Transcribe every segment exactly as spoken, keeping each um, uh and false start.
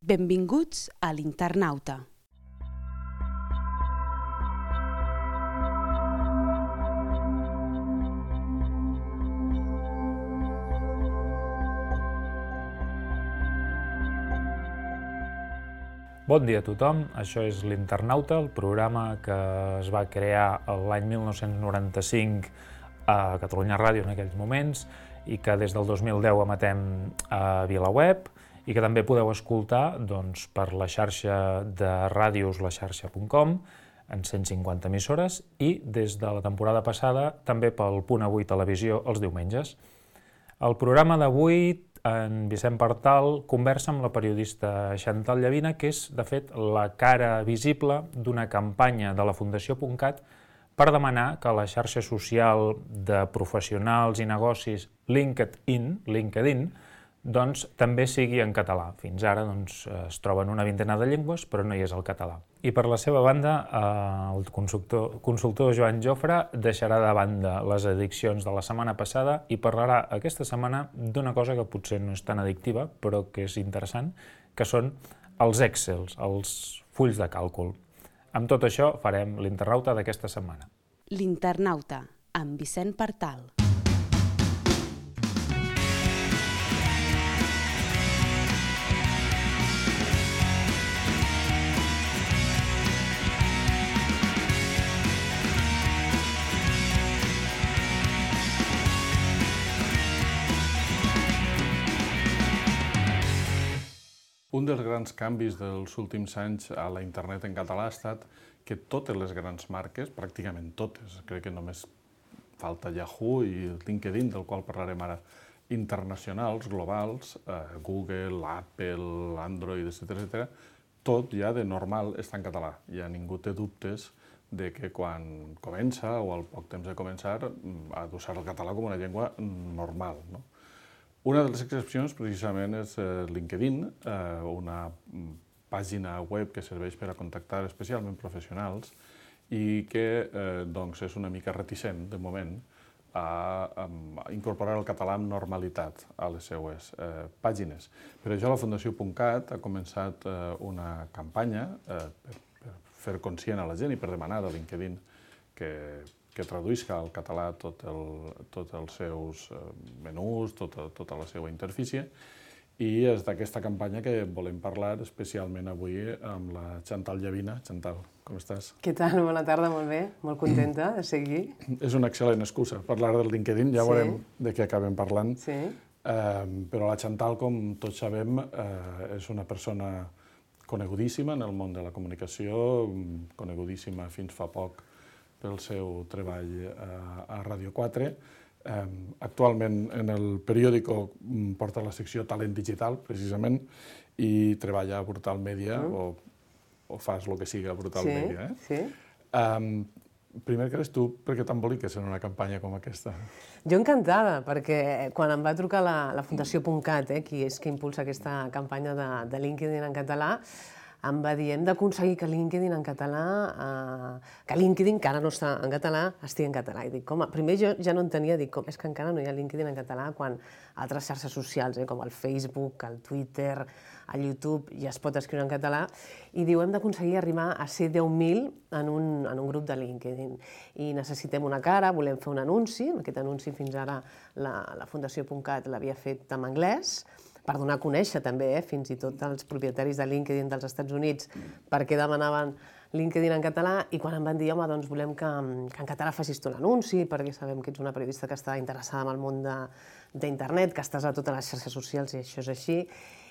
Benvinguts a l'Internauta. Bon dia a tothom, això és l'Internauta, el programa que es va crear l'any mil nou-cents noranta-cinc a Catalunya Ràdio en aquells moments i que des del dos mil deu emetem a VilaWeb i que també podeu escoltar doncs, per la xarxa de ràdios la xarxa punt com en cent cinquanta emissores i des de la temporada passada també pel Punt Avui Televisió els diumenges. El programa d'avui, en Vicent Partal conversa amb la periodista Chantal Llavina, que és, de fet, la cara visible d'una campanya de la Fundació .cat per demanar que la xarxa social de professionals i negocis LinkedIn, LinkedIn doncs, també sigui en català. Fins ara doncs, es troba en una vintena de llengües, però no hi és el català. I per la seva banda, el consultor, consultor Joan Jofre deixarà de banda les addiccions de la setmana passada i parlarà aquesta setmana d'una cosa que potser no és tan addictiva, però que és interessant, que són els Excels, els fulls de càlcul. Amb tot això farem l'Internauta d'aquesta setmana. L'Internauta, amb Vicent Partal. Un dels grans canvis dels últims anys a la internet en català ha estat que totes les grans marques, pràcticament totes, crec que només falta Yahoo i LinkedIn, del qual parlarem ara, internacionals, globals, eh, Google, Apple, Android, etcètera, etcètera, tot ja de normal està en català. Ja ningú té dubtes de que quan comença o al poc temps de començar ha d'usar el català com una llengua normal, no? Una de les excepcions, precisament, és LinkedIn, una pàgina web que serveix per a contactar especialment professionals i que doncs, és una mica reticent, de moment, a incorporar el català amb normalitat a les seues pàgines. Per això la Fundació .cat ha començat una campanya per fer conscient a la gent i per demanar a LinkedIn que que traduïsca al català tots els seus menús, tota, tota la seva interfície, i és d'aquesta campanya que volem parlar especialment avui amb la Chantal Llavina. Chantal, com estàs? Què tal? Bona tarda, molt bé, molt contenta de ser aquí. És una excel·lent excusa parlar del LinkedIn, ja veurem de què acabem parlant. Sí. Però la Chantal, com tots sabem, és una persona conegudíssima en el món de la comunicació, conegudíssima fins fa poc pel seu treball a Ràdio quatre. Actualment en el periòdico porta la secció Talent Digital, precisament, i treballa a Brutal Media, o fas el que siga a Brutal Media. Sí, sí. Primer que res, tu, per què t'emboliques en una campanya com aquesta? Jo encantada, perquè quan em va trucar la Fundació .cat, qui és que impulsa aquesta campanya de LinkedIn en català, em va dir, hem d'aconseguir que LinkedIn en català, que LinkedIn, que ara no està en català, estigui en català. I dic, com, primer jo ja no entenia, dic, com, és que encara no hi ha LinkedIn en català quan altres xarxes socials, com el Facebook, el Twitter, el YouTube, ja es pot escriure en català. I diu, hem d'aconseguir arribar a ser deu mil en un grup de LinkedIn. I necessitem una cara, volem fer un anunci. Aquest anunci fins ara la Fundació .cat l'havia fet en anglès, per donar a conèixer també, fins i tot als propietaris de LinkedIn dels Estats Units, perquè demanaven LinkedIn en català, i quan em van dir, home, doncs volem que en català facis tu l'anunci, perquè sabem que ets una periodista que està interessada en el món d'internet, que estàs a totes les xarxes socials, i això és així,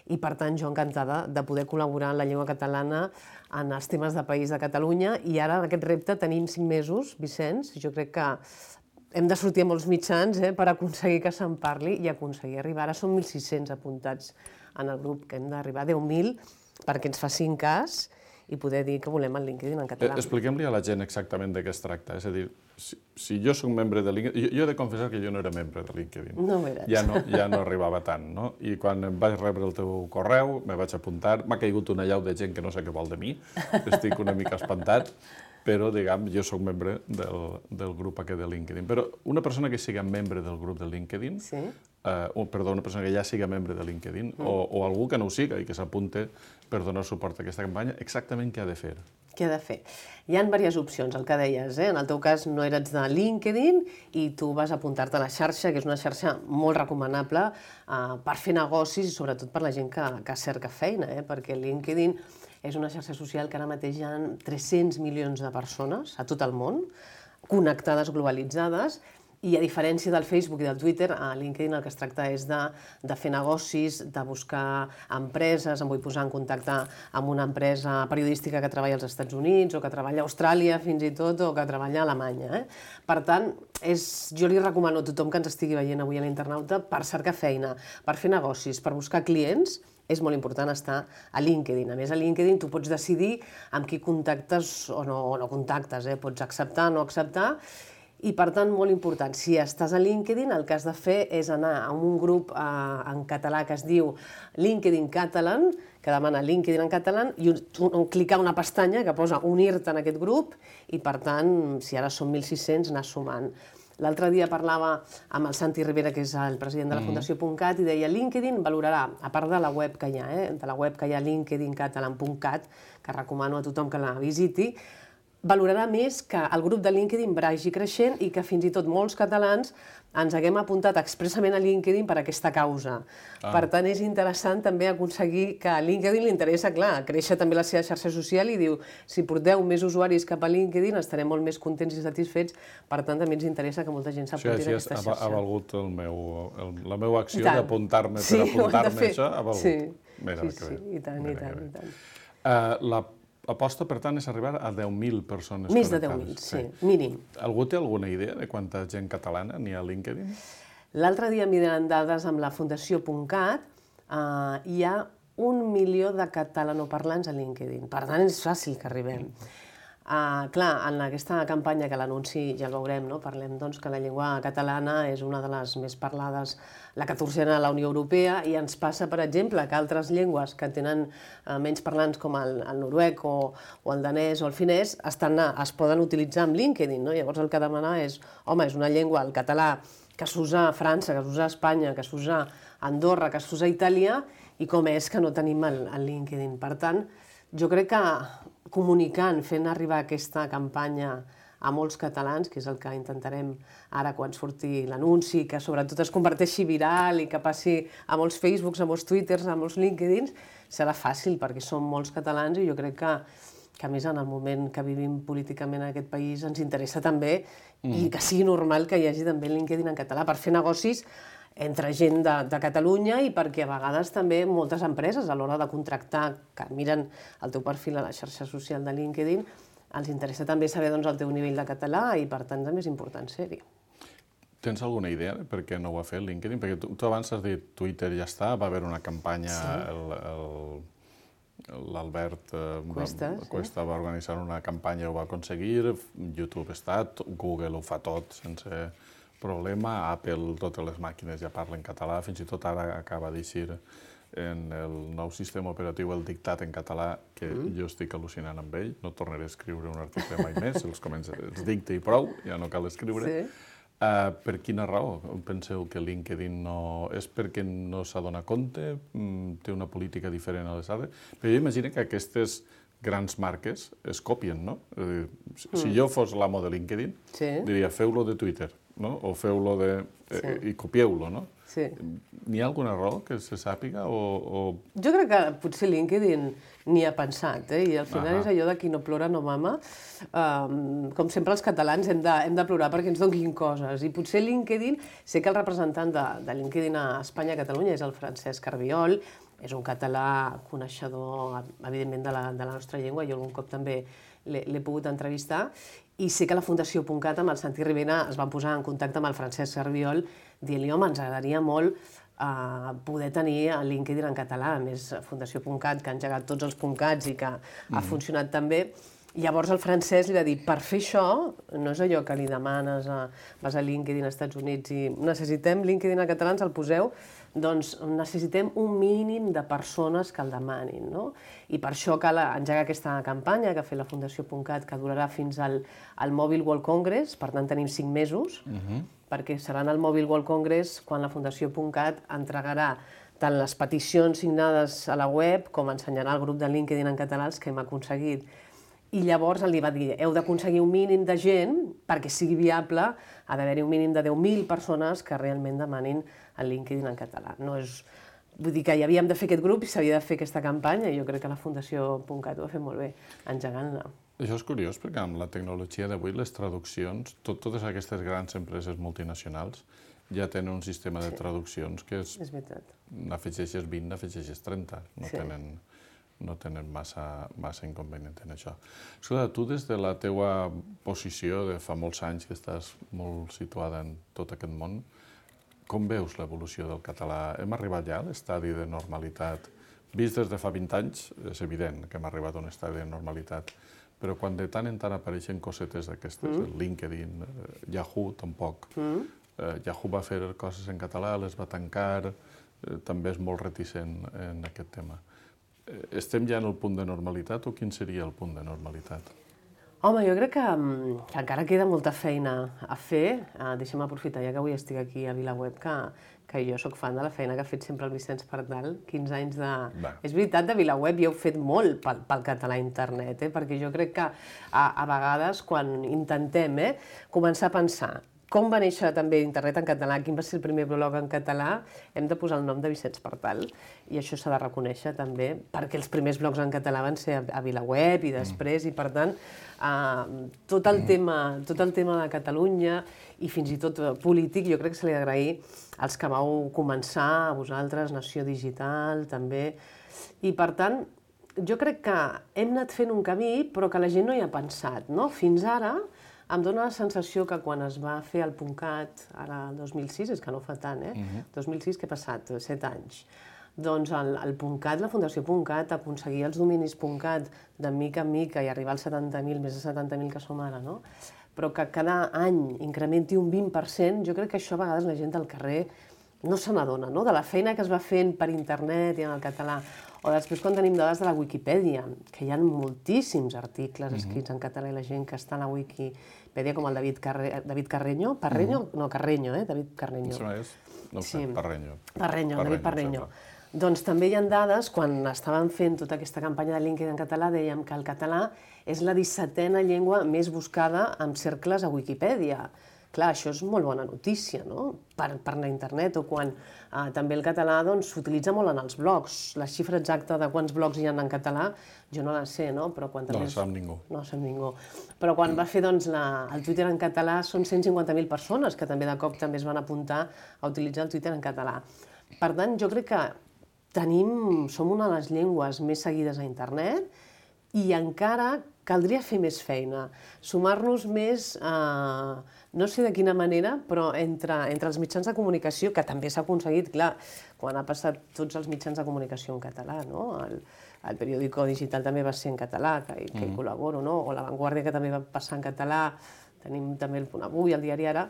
i per tant jo encantada de poder col·laborar en la llengua catalana en els temes de País de Catalunya, i ara en aquest repte tenim cinc mesos, Vicenç, jo crec que hem de sortir a molts mitjans per aconseguir que se'n parli i aconseguir arribar. Ara són mil sis-cents apuntats en el grup, que hem d'arribar a deu mil perquè ens facin cas i poder dir que volem el LinkedIn en català. Expliquem-li a la gent exactament de què es tracta. És a dir, si jo soc membre de LinkedIn... Jo he de confessar que jo no era membre de LinkedIn. No ho eres. Ja no arribava tant, no? I quan vaig rebre el teu correu, me vaig apuntar, m'ha caigut una llau de gent que no sé què vol de mi, estic una mica espantat, però, diguem, jo soc membre del grup aquest de LinkedIn. Però una persona que sigui membre del grup de LinkedIn o, perdó, una persona que ja siga membre de LinkedIn o, o algú que no ho siga i que s'apunte per donar suport a aquesta campanya, exactament què ha de fer? Què ha de fer? Hi ha diverses opcions, el que deies, eh? En el teu cas no eres de LinkedIn i tu vas apuntar-te a la xarxa, que és una xarxa molt recomanable eh, per fer negocis i sobretot per la gent que, que cerca feina, eh? Perquè LinkedIn és una xarxa social que ara mateix hi ha tres-cents milions de persones a tot el món, connectades, globalitzades, i a diferència del Facebook i del Twitter, a LinkedIn el que es tracta és de, de fer negocis, de buscar empreses, em vull posar en contacte amb una empresa periodística que treballa als Estats Units o que treballa a Austràlia fins i tot o que treballa a Alemanya. Eh? Per tant, és, jo li recomano a tothom que ens estigui veient avui a l'Internauta per cercar feina, per fer negocis, per buscar clients, és molt important estar a LinkedIn. A més, a LinkedIn tu pots decidir amb qui contactes o no, o no contactes, eh? Pots acceptar o no acceptar. I, per tant, molt important, si estàs a LinkedIn, el que has de fer és anar a un grup eh, en català que es diu LinkedIn Catalan, que demana LinkedIn en català, i un, un, clicar una pestanya que posa unir-te en aquest grup i, per tant, si ara són mil sis-cents, anar sumant. L'altre dia parlava amb el Santi Rivera, que és el president de la Fundació .cat, i deia LinkedIn valorarà, a part de la web que hi ha, eh, de la web que hi ha linkedin catalan punt cat, que recomano a tothom que la visiti, valorarà més que el grup de LinkedIn vagi creixent i que fins i tot molts catalans ens haguem apuntat expressament a LinkedIn per aquesta causa. Ah. Per tant, és interessant també aconseguir que a LinkedIn li interessa, clar, créixer també la seva xarxa social i diu, si porteu més usuaris cap a LinkedIn estarem molt més contents i satisfets, per tant també ens interessa que molta gent s'apunti sí, a aquesta xarxa. Ha valgut el meu, el, la meva acció d'apuntar-me sí, per apuntar-me això, ha valgut. Sí, Mira, sí, sí, i tant, i tant, i tant. Uh, la L'aposta, per tant, és arribar a deu mil persones Més connectades. de deu mil, sí, sí, mínim. Algú té alguna idea de quanta gent catalana n'hi ha a LinkedIn? L'altre dia, mirant dades amb la Fundació .cat, eh, hi ha un milió de catalanoparlants a LinkedIn. Per tant, és fàcil que arribem. Uh, clar, en aquesta campanya que l'anunci ja el veurem, no? Parlem doncs, que la llengua catalana és una de les més parlades, la catorzena a la Unió Europea, i ens passa, per exemple, que altres llengües que tenen uh, menys parlants com el, el noruec o, o el danès o el finès estan, es poden utilitzar amb LinkedIn. No? Llavors el que demana és, home, és una llengua, el català, que s'usa a França, que s'usa a Espanya, que s'usa a Andorra, que s'usa a Itàlia, i com és que no tenim el, el LinkedIn. Per tant, jo crec que comunicant, fent arribar aquesta campanya a molts catalans, que és el que intentarem ara quan surti l'anunci, que sobretot es converteixi viral i que passi a molts Facebooks, a molts Twitters, a molts LinkedIns, serà fàcil perquè som molts catalans i jo crec que, que a més en el moment que vivim políticament en aquest país ens interessa també mm. i que sigui normal que hi hagi també LinkedIn en català per fer negocis entre gent de, de Catalunya i perquè a vegades també moltes empreses a l'hora de contractar, que miren el teu perfil a la xarxa social de LinkedIn, els interessa també saber doncs, el teu nivell de català i per tant també és important ser-hi. Tens alguna idea de per què no ho ha fet LinkedIn? Perquè tu, tu abans has dit Twitter ja està, va haver una campanya, sí. l'Albert Cuesta, va, Cuesta sí. va organitzar una campanya, ho va aconseguir, YouTube està, Google ho fa tot sense problema, Apple, totes les màquines ja parlen català, fins i tot ara acaba d'eixir en el nou sistema operatiu el dictat en català, que mm. jo estic al·lucinant amb ell, no tornaré a escriure un article mai més, els, comença, els dicta i prou, ja no cal escriure. Sí. Uh, per quina raó penseu que LinkedIn no... És perquè no s'adona compte? Mm, té una política diferent a les altres? Però jo imagino que aquestes grans marques es copien, no? Uh, si mm. jo fos l'amo de LinkedIn, sí. diria, feu-lo de Twitter, no? O feu-lo de... Eh, sí. i copieu-lo, no? Sí. N'hi ha alguna raó que se sàpiga o, o...? Jo crec que potser LinkedIn n'hi ha pensat, eh? I al final és allò de qui no plora no mama. Um, com sempre els catalans hem de, hem de plorar perquè ens donin coses. I potser LinkedIn, sé que el representant de, de LinkedIn a Espanya, a Catalunya, és el Francesc Arbiol, és un català coneixedor, evidentment, de la, de la nostra llengua, jo algun cop també l'he pogut entrevistar, i sé que la Fundació .cat amb el Santi Rivera es van posar en contacte amb el Francesc Arbiol dient-li, home, ens agradaria molt uh, poder tenir el LinkedIn en català, a més Fundació .cat, que ha engegat tots els .cats i que mm. ha funcionat tan bé. Llavors el Francesc li va dir, per fer això, no és allò que li demanes, a, vas a LinkedIn als Estats Units i necessitem LinkedIn en català, ens el poseu, doncs necessitem un mínim de persones que el demanin, no? I per això cal engegar aquesta campanya que ha fet la Fundació .cat, que durarà fins al, al Mobile World Congress, per tant tenim cinc mesos, uh-huh. perquè seran al Mobile World Congress quan la Fundació .cat entregarà tant les peticions signades a la web com ensenyarà el grup de LinkedIn en català els que hem aconseguit. I llavors li va dir, heu d'aconseguir un mínim de gent perquè sigui viable, ha d'haver-hi un mínim de deu mil persones que realment demanin el LinkedIn en català. No és... Vull dir que ja havíem de fer aquest grup i s'havia de fer aquesta campanya i jo crec que la Fundació .cat ho ha fet molt bé, engegant-la. Això és curiós perquè amb la tecnologia d'avui, les traduccions, tot, totes aquestes grans empreses multinacionals ja tenen un sistema de traduccions que és... És veritat. N'afegeixes vint, n'afegeixes trenta. No sí. tenen... no tenen massa, massa inconvenient en això. Escolta, tu des de la teua posició de fa molts anys que estàs molt situada en tot aquest món, com veus l'evolució del català? Hem arribat ja a l'estadi de normalitat? Vist des de fa vint anys, és evident que hem arribat a un estadi de normalitat, però quan de tant en tant apareixen cosetes d'aquestes, mm. LinkedIn, Yahoo, tampoc. Mm. Eh, Yahoo va fer coses en català, les va tancar, eh, també és molt reticent en aquest tema. Estem ja en el punt de normalitat o quin seria el punt de normalitat? Home, jo crec que, que encara queda molta feina a fer. Uh, Deixa'm aprofitar, ja que avui estic aquí a VilaWeb, que, que jo sóc fan de la feina que ha fet sempre el Vicenç Pardal, quinze anys de... Va. És veritat, de VilaWeb i heu fet molt pel, pel català a internet, eh? Perquè jo crec que a, a vegades quan intentem eh, començar a pensar com va néixer també internet en català, quin va ser el primer blog en català, hem de posar el nom de Vicenç Pardal i això s'ha de reconèixer també perquè els primers blogs en català van ser a VilaWeb i després, mm. i per tant uh, tot, el tema, tot el tema de Catalunya i fins i tot polític jo crec que se li ha d'agrair als que vau començar, a vosaltres, Nació Digital també, i per tant jo crec que hem anat fent un camí però que la gent no hi ha pensat, no? Fins ara em dóna la sensació que quan es va fer el .cat, ara el dos mil sis, és que no fa tant, eh? Uh-huh. dos mil sis, què ha passat? Set anys. Doncs el, el .cat, la Fundació .cat, aconseguir els dominis .cat de mica en mica i arribar als setanta mil, més de setanta mil que som ara, no? Però que cada any incrementi un vint per cent, jo crec que això a vegades la gent del carrer no se n'adona, no? De la feina que es va fent per internet i en el català. O després quan tenim dades de la Wikipedia, que hi ha moltíssims articles escrits en català i la gent que està a la Wikipedia, com el David, Carre... David Carreño, Parreño? Mm-hmm. No, Carreño, eh? David Carreño. Això és? No ho sé, sí. Parreño. Parreño, David Parreño. Doncs també hi ha dades, quan estàvem fent tota aquesta campanya de LinkedIn en català, dèiem que el català és la dissetena llengua més buscada en cercles a Wikipedia. Clar, això és molt bona notícia, no? Per, per la internet, o quan eh, també el català doncs, s'utilitza molt en els blogs. La xifra exacta de quants blogs hi ha en català, jo no la sé, no? Però quan no també... la sap ningú. No la sap ningú. Però quan va fer doncs, la, el Twitter en català són cent cinquanta mil persones que també de cop també es van apuntar a utilitzar el Twitter en català. Per tant, jo crec que tenim, som una de les llengües més seguides a internet i encara caldria fer més feina, sumar-nos més, eh, no sé de quina manera, però entre, entre els mitjans de comunicació, que també s'ha aconseguit, clar, quan ha passat tots els mitjans de comunicació en català, no? El, el periòdico digital també va ser en català, que, que hi col·laboro, no? O La Vanguardia, que també va passar en català, tenim també el Punt Avui, el Diari Ara.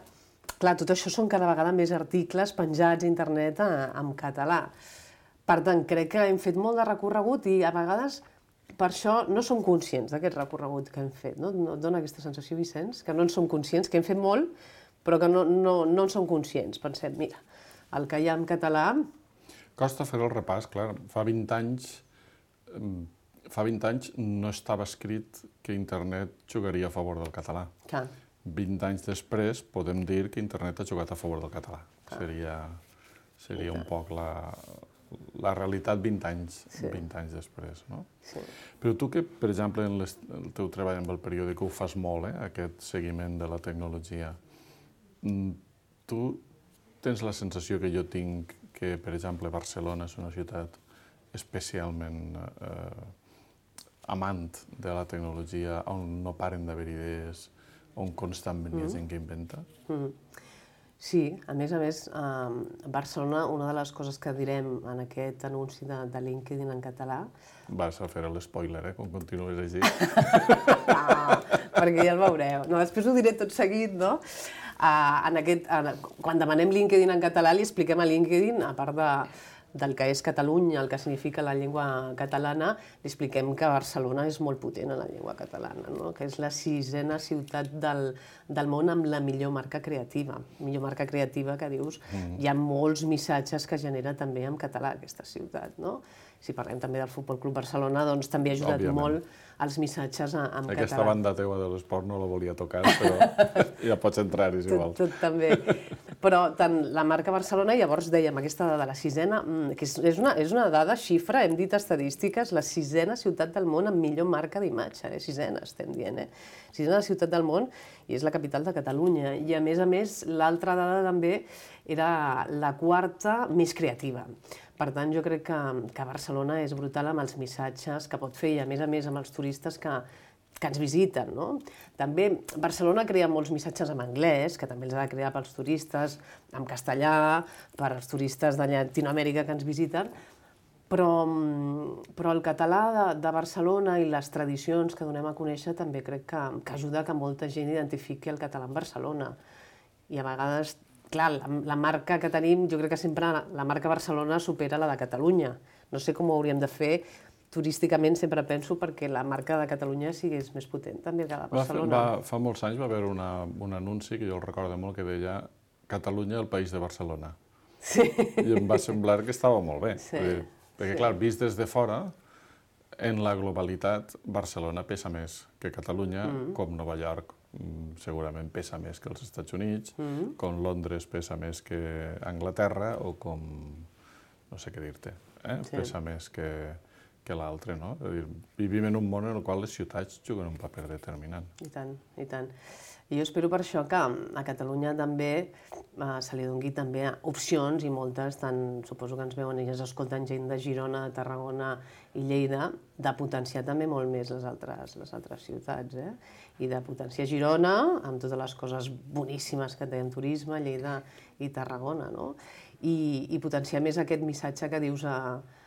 Clar, tot això són cada vegada més articles penjats a internet en català. Per tant, crec que hem fet molt de recorregut i a vegades per això no som conscients d'aquest recorregut que hem fet. No? No et dona aquesta sensació, Vicenç, que no en som conscients, que hem fet molt, però que no, no, no en som conscients. Pensem, mira, el que hi ha en català... Costa fer el repàs, clar. Fa vint anys, fa vint anys no estava escrit que internet jugaria a favor del català. Clar. vint anys després podem dir que internet ha jugat a favor del català. Clar. Seria, seria un poc la... la realitat vint anys, sí. vint anys després, no? Sí. Però tu que, per exemple, en les, el teu treball amb el periòdic ho fas molt, eh, aquest seguiment de la tecnologia, tu tens la sensació que jo tinc que, per exemple, Barcelona és una ciutat especialment eh, amant de la tecnologia, on no paren d'haver idees, on constantment hi ha gent que inventa? Mm-hmm. Sí, a més a més, a Barcelona, una de les coses que direm en aquest anunci de, de LinkedIn en català... Vas a fer l'espoiler, eh, quan continues així. Ah, perquè ja el veureu. No, després ho diré tot seguit, no? en aquest, en, quan demanem LinkedIn en català li expliquem a LinkedIn, a part de, del que és Catalunya, el que significa la llengua catalana, li expliquem que Barcelona és molt potent en la llengua catalana, no? Que és la sisena ciutat del, del món amb la millor marca creativa. Millor marca creativa que dius, mm. hi ha molts missatges que genera també en català aquesta ciutat, no? Si parlem també del Futbol Club Barcelona, doncs també ha ajudat Òbviament. molt els missatges en català. Aquesta banda teua de l'esport no la volia tocar, però ja pots entrar-hi, si vols. Tot, tot també. Però tant la marca Barcelona, llavors dèiem, aquesta dada de la sisena, que és una, és una dada, xifra, hem dit estadístiques, la sisena ciutat del món amb millor marca d'imatge, eh? Sisena estem dient, eh? Sisena ciutat del món i és la capital de Catalunya. I a més a més, l'altra dada també era la quarta més creativa. Per tant, jo crec que, que Barcelona és brutal amb els missatges que pot fer i, a més a més, amb els turistes que, que ens visiten, no? També Barcelona crea molts missatges en anglès, que també els ha de crear pels turistes, en castellà, per als turistes de Llatinoamèrica que ens visiten, però, però el català de, de Barcelona i les tradicions que donem a conèixer també crec que, que ajuda que molta gent identifiqui el català en Barcelona. I a vegades... Clar, la, la marca que tenim, jo crec que sempre la marca Barcelona supera la de Catalunya. No sé com ho hauríem de fer, turísticament sempre penso perquè la marca de Catalunya sigués més potent també que la de Barcelona. Va, va, fa molts anys va haver una, un anunci, que jo el recordo molt, que deia Catalunya, el país de Barcelona. Sí. I em va semblar que estava molt bé. Sí. Dir, perquè, sí. clar, vist des de fora, en la globalitat, Barcelona pesa més que Catalunya, mm. com Nova York. Segurament pesa més que els Estats Units, mm-hmm. com Londres pesa més que Anglaterra, o com, no sé què dir-te, eh? sí. pesa més que, que l'altre, no? És a dir, vivim en un món en el qual les ciutats juguen un paper determinant. I tant, i tant. I jo espero per això que a Catalunya també eh, se li doni també opcions, i moltes, tant suposo que ens veuen i ens escolten gent de Girona, Tarragona i Lleida, de potenciar també molt més les altres, les altres ciutats, eh? I de potenciar Girona amb totes les coses boníssimes que té en turisme, Lleida i Tarragona, no? I, i potenciar més aquest missatge que dius a,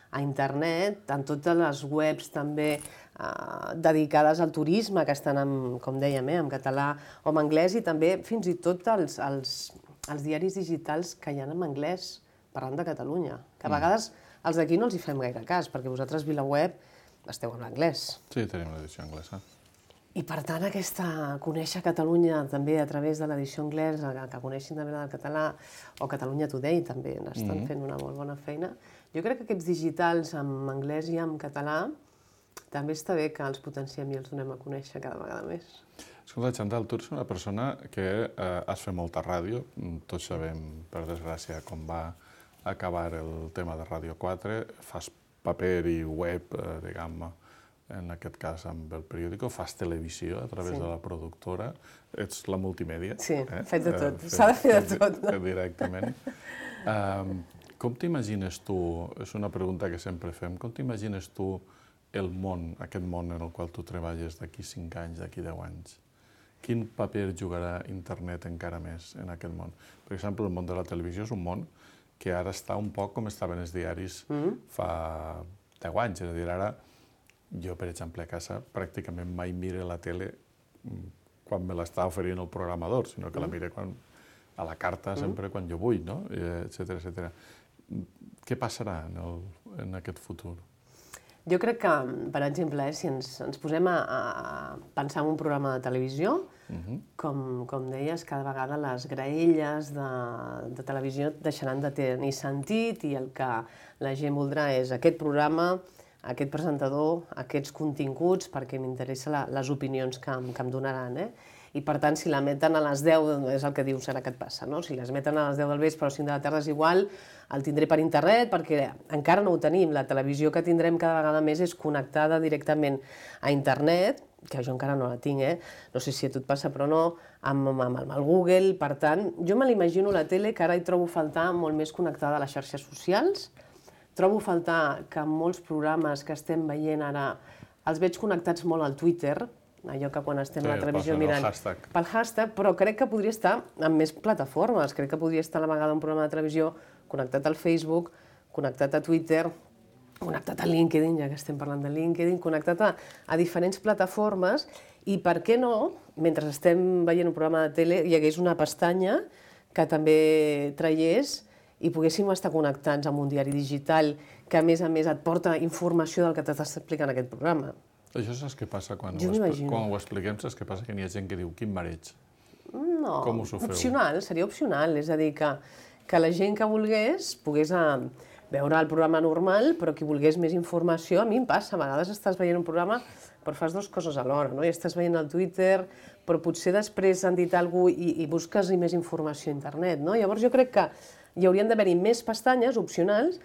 a internet, en totes les webs també eh, dedicades al turisme, que estan, en, com dèiem, eh, en català o en anglès, i també fins i tot els, els, els diaris digitals que hi ha en anglès, parlant de Catalunya, que a vegades els d'aquí no els hi fem gaire cas, perquè vosaltres, VilaWeb, esteu en anglès. Sí, tenim l'edició anglesa. I per tant, aquesta, conèixer Catalunya també a través de l'edició anglesa, que coneixin també la del català, o Catalunya Today també n'estan mm-hmm. fent una molt bona feina. Jo crec que aquests digitals en anglès i en català també està bé que els potenciem i els donem a conèixer cada vegada més. Escolta, Chantal, tu ets una persona que eh, has fet molta ràdio. Tots sabem, per desgràcia, com va acabar el tema de Ràdio quatre. Fas paper i web, eh, diguem-ne, en aquest cas amb el periòdico, fas televisió a través sí. de la productora, ets la multimèdia. Sí, eh? faig de tot, eh, s'ha de fer de tot. No? Directament. um, com t'imagines tu, és una pregunta que sempre fem, com t'imagines tu el món, aquest món en el qual tu treballes d'aquí cinc anys, d'aquí deu anys? Quin paper jugarà internet encara més en aquest món? Per exemple, el món de la televisió és un món que ara està un poc com estaven els diaris mm. fa deu anys, és a dir, ara jo, per exemple, a casa pràcticament mai mire la tele quan me l'està oferint el programador, sinó que la mire quan, a la carta sempre quan jo vull, no? etcètera, etcètera. Què passarà en, el, en aquest futur? Jo crec que, per exemple, eh, si ens, ens posem a, a pensar en un programa de televisió, uh-huh. com, com deies, cada vegada les graelles de, de televisió deixaran de tenir sentit i el que la gent voldrà és aquest programa, aquest presentador, aquests continguts, perquè m'interessa la, les opinions que, que em donaran. Eh? I per tant, si la meten a les deu, és el que diu, serà que et passa, no? Si les meten a les deu del vespre o cinc de la tarda és igual, el tindré per internet, perquè encara no ho tenim. La televisió que tindrem cada vegada més és connectada directament a internet, que jo encara no la tinc, eh? No sé si a tu et passa, però no, amb, amb, amb el Google. Per tant, jo me l'imagino la tele, que ara hi trobo faltar molt més connectada a les xarxes socials. Trobo faltar que molts programes que estem veient ara els veig connectats molt al Twitter, allò que quan estem sí, a la televisió mirant hashtag. pel hashtag, però crec que podria estar en més plataformes. Crec que podria estar a la vegada un programa de televisió connectat al Facebook, connectat a Twitter, connectat a LinkedIn, ja que estem parlant de LinkedIn, connectat a, a diferents plataformes I per què no, mentre estem veient un programa de tele, hi hagués una pestanya que també traiés i poguéssim estar connectats amb un diari digital que, a més a més, et porta informació del que t'estàs explicant aquest programa. Això saps què passa quan, Jo ho, expl m'imagino. quan ho expliquem? Saps què passa? Que n'hi ha gent que diu, quin mareig. No, Com us ho feu? opcional, seria opcional, és a dir, que, que la gent que volgués pogués a, veure el programa normal, però qui volgués més informació, a mi em passa, a vegades estàs veient un programa però fas dues coses alhora, no? I estàs veient el Twitter, però potser després han dit alguna cosa i, i busques més informació a internet, no? Llavors jo crec que hi haurien d'haver-hi més pestanyes opcionals,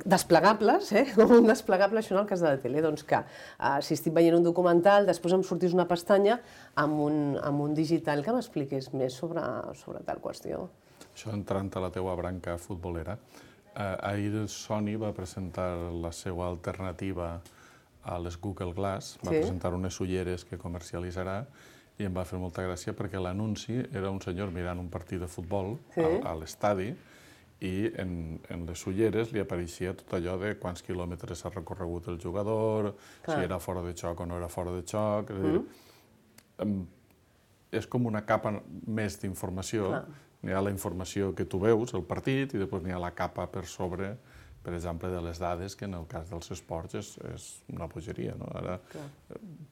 desplegables, eh? Com un desplegable, això en el cas de la tele, doncs que eh, si estic veient un documental, després em sortís una pestanya amb un, amb un digital que m'expliqués més sobre, sobre tal qüestió. Això entrant a la teua branca futbolera, eh, ahir Sony va presentar la seva alternativa a les Google Glass, va Sí. presentar unes ulleres que comercialitzarà i em va fer molta gràcia perquè l'anunci era un senyor mirant un partit de futbol Sí. a, a l'estadi i en, en les ulleres li apareixia tot allò de quants quilòmetres ha recorregut el jugador, Clar. si era fora de xoc o no era fora de xoc. És, a dir, em, és com una capa més d'informació. Clar. N'hi ha la informació que tu veus, el partit, i després n'hi ha la capa per sobre, per exemple, de les dades, que en el cas dels esports és, és una bogeria, no? Ara Clar.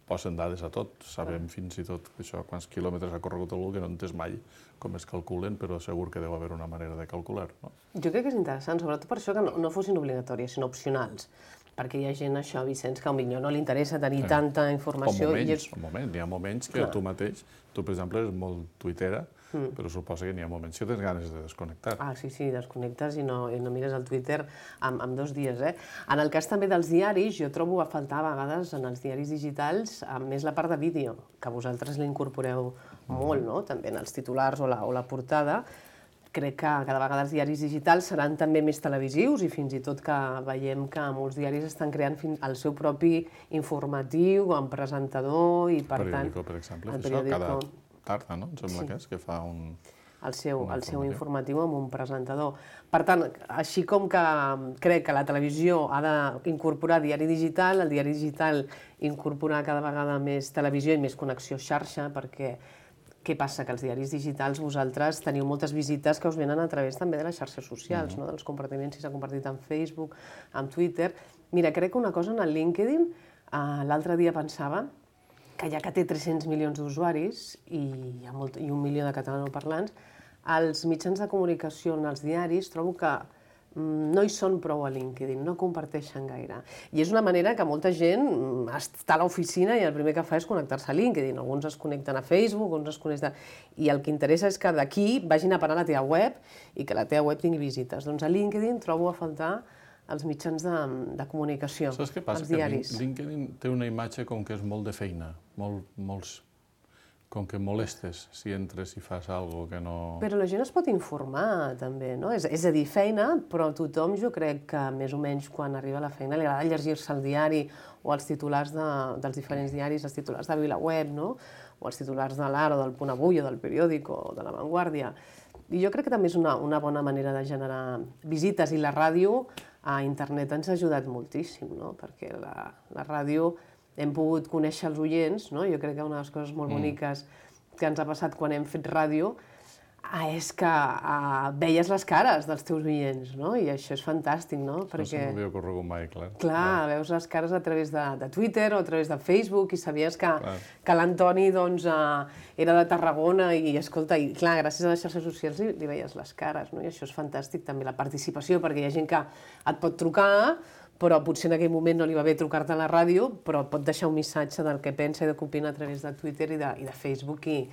posen dades a tot, sabem fins i tot això, quants quilòmetres ha corregut algú, que no entens mai com es calculen, però segur que deu haver una manera de calcular, no? Jo crec que és interessant, sobretot per això que no, no fossin obligatòries, sinó opcionals. Perquè hi ha gent, això, Vicenç, que potser no li interessa tenir Sí. tanta O informació. moments, I és... o moments, n'hi ha moments que Clar. tu mateix, tu per exemple eres molt tuitera, però suposa que n'hi ha moments que tens ganes de desconnectar. Ah, sí, sí, desconnectes i no, i no mires el Twitter en, en dos dies, eh? En el cas també dels diaris, jo trobo a faltar a vegades en els diaris digitals a més la part de vídeo, que vosaltres l'incorporeu molt, no? També en els titulars o la, o la portada. Crec que cada vegada els diaris digitals seran també més televisius i fins i tot que veiem que molts diaris estan creant fin- el seu propi informatiu amb presentador i, per tant... Periódico, per exemple, el fa això cada periòdico. tarda, no? Em sembla Sí. que és que fa un... el seu, un el seu informatiu. informatiu amb un presentador. Per tant, així com que crec que la televisió ha d'incorporar diari digital, el diari digital incorporar cada vegada més televisió i més connexió xarxa, perquè què passa? Que els diaris digitals vosaltres teniu moltes visites que us venen a través també de les xarxes socials, mm-hmm. no? Dels compartiments, si s'ha compartit en Facebook, en Twitter. Mira, crec que una cosa en el LinkedIn, eh, l'altre dia pensava que ja que té tres-cents milions d'usuaris i, hi ha molt, i un milió de catalanoparlants, els mitjans de comunicació en els diaris trobo que mm, no hi són prou a LinkedIn, no comparteixen gaire. I és una manera que molta gent mm, està a l'oficina i el primer que fa és connectar-se a LinkedIn. Alguns es connecten a Facebook, uns es connecten... I el que interessa és que d'aquí vagin a parar a la teva web i que la teva web tingui visites. Doncs a LinkedIn trobo a faltar els mitjans de, de comunicació, Saps què passa? els Que diaris. LinkedIn té una imatge com que és molt de feina, molt, molts, com que molestes si entres i fas alguna que no... Però la gent es pot informar, també, no? És, és a dir, feina, però tothom jo crec que més o menys quan arriba a la feina li agrada llegir-se el diari o els titulars de, dels diferents diaris, els titulars de VilaWeb, no? O els titulars de l'Ara, o del Punt Avui, o del Periódico, o de La Vanguardia. I jo crec que també és una, una bona manera de generar visites, i la ràdio a internet ens ha ajudat moltíssim, no? Perquè la, la ràdio hem pogut conèixer els oients, no? Jo crec que una de les coses molt boniques que ens ha passat quan hem fet ràdio ah, és que ah, veies les cares dels teus oients, no? I això és fantàstic, no? No se m'havia ocorregut mai, clar. Clar, veus les cares a través de, de Twitter o a través de Facebook i sabies que, Clar. que l'Antoni doncs, eh, era de Tarragona i, escolta, i clar, gràcies a les xarxes socials li, li veies les cares, no? I això és fantàstic, també la participació, perquè hi ha gent que et pot trucar, però potser en aquell moment no li va bé trucar-te a la ràdio, però pot deixar un missatge del que pensa i de què opina a través de Twitter i de, i de Facebook, i,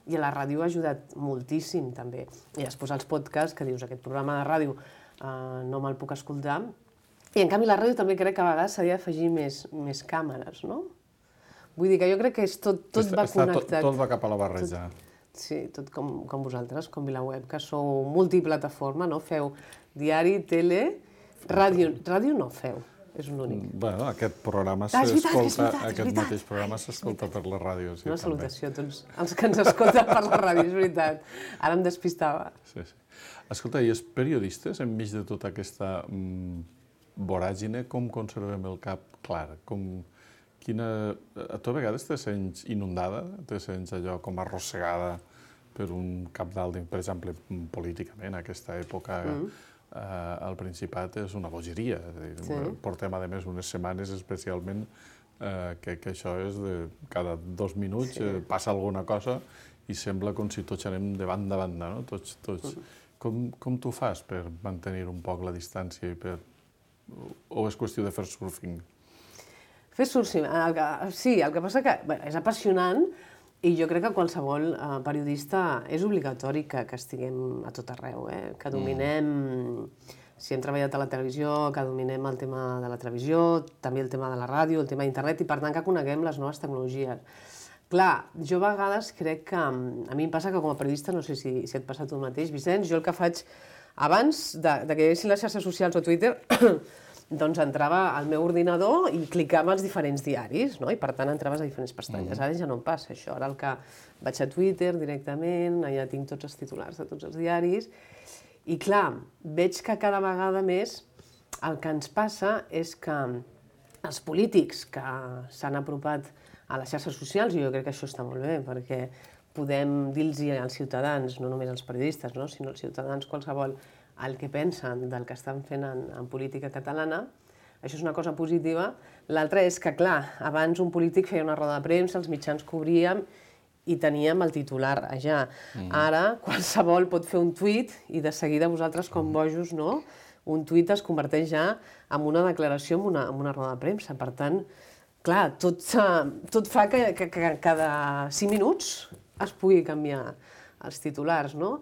i a la ràdio ha ajudat moltíssim, també. I després els podcasts, que dius, aquest programa de ràdio eh, no me'l puc escoltar. I en canvi la ràdio també crec que a vegades s'ha d'afegir més, més càmeres, no? Vull dir que jo crec que és tot, tot Està- va està connectat. Tot, tot va cap a la barreja. Sí, tot com, com vosaltres, com VilaWeb, que sou multiplataforma, no? Feu diari, tele, ràdio, ràdio no feu, és un únic. Bueno, aquest programa Ah, és veritat, és s'escolta, veritat, és aquest veritat. mateix programa s'escolta per la ràdio. Sí, Una també. salutació a tots els que ens escolten per la ràdio, és veritat. Ara em despistava. Sí, sí. Escolta, i els periodistes, enmig de tota aquesta mm, voràgine, com conservem el cap clar? Com, quina... A tu a vegades te sents inundada? Te sents allò com arrossegada per un cabdal, per exemple, políticament, aquesta època mm. eh, al Principat és una bogeria. Sí. Portem, a més, unes setmanes especialment eh, que, que això és de cada dos minuts sí. eh, passa alguna cosa i sembla com si tots anem de banda a banda, no? Tots, tots. Mm. Com, com tu fas per mantenir un poc la distància i per... O és qüestió de fer surfing? Fer surfing, el que, sí, el que passa que bé, és apassionant i jo crec que qualsevol eh, periodista és obligatori que, que estiguem a tot arreu, eh? Que dominem, mm. si hem treballat a la televisió, que dominem el tema de la televisió, també el tema de la ràdio, el tema d'internet i per tant que coneguem les noves tecnologies. Clar, jo a vegades crec que, a mi em passa que com a periodista, no sé si, si et passa tu mateix, Vicenç, jo el que faig abans de, de que hi haguessin les xarxes socials o Twitter, doncs entrava al meu ordinador i clicava als diferents diaris, no? I per tant entraves a diferents pestanyes. Ara ja no em passa això, ara el que vaig a Twitter directament, allà tinc tots els titulars de tots els diaris, i clar, veig que cada vegada més el que ens passa és que els polítics que s'han apropat a les xarxes socials, i jo crec que això està molt bé, perquè podem dir-los als ciutadans, no només als periodistes, no? Sinó als ciutadans qualsevol, el que pensen del que estan fent en, en política catalana. Això és una cosa positiva. L'altra és que, clar, abans un polític feia una roda de premsa, els mitjans cobríem i teníem el titular allà. Mm. Ara, qualsevol pot fer un tuit i de seguida vosaltres, com bojos, no? Un tuit es converteix ja en una declaració, en una, en una roda de premsa. Per tant, clar, tot, tot fa que, que, que cada cinc minuts es pugui canviar els titulars, no?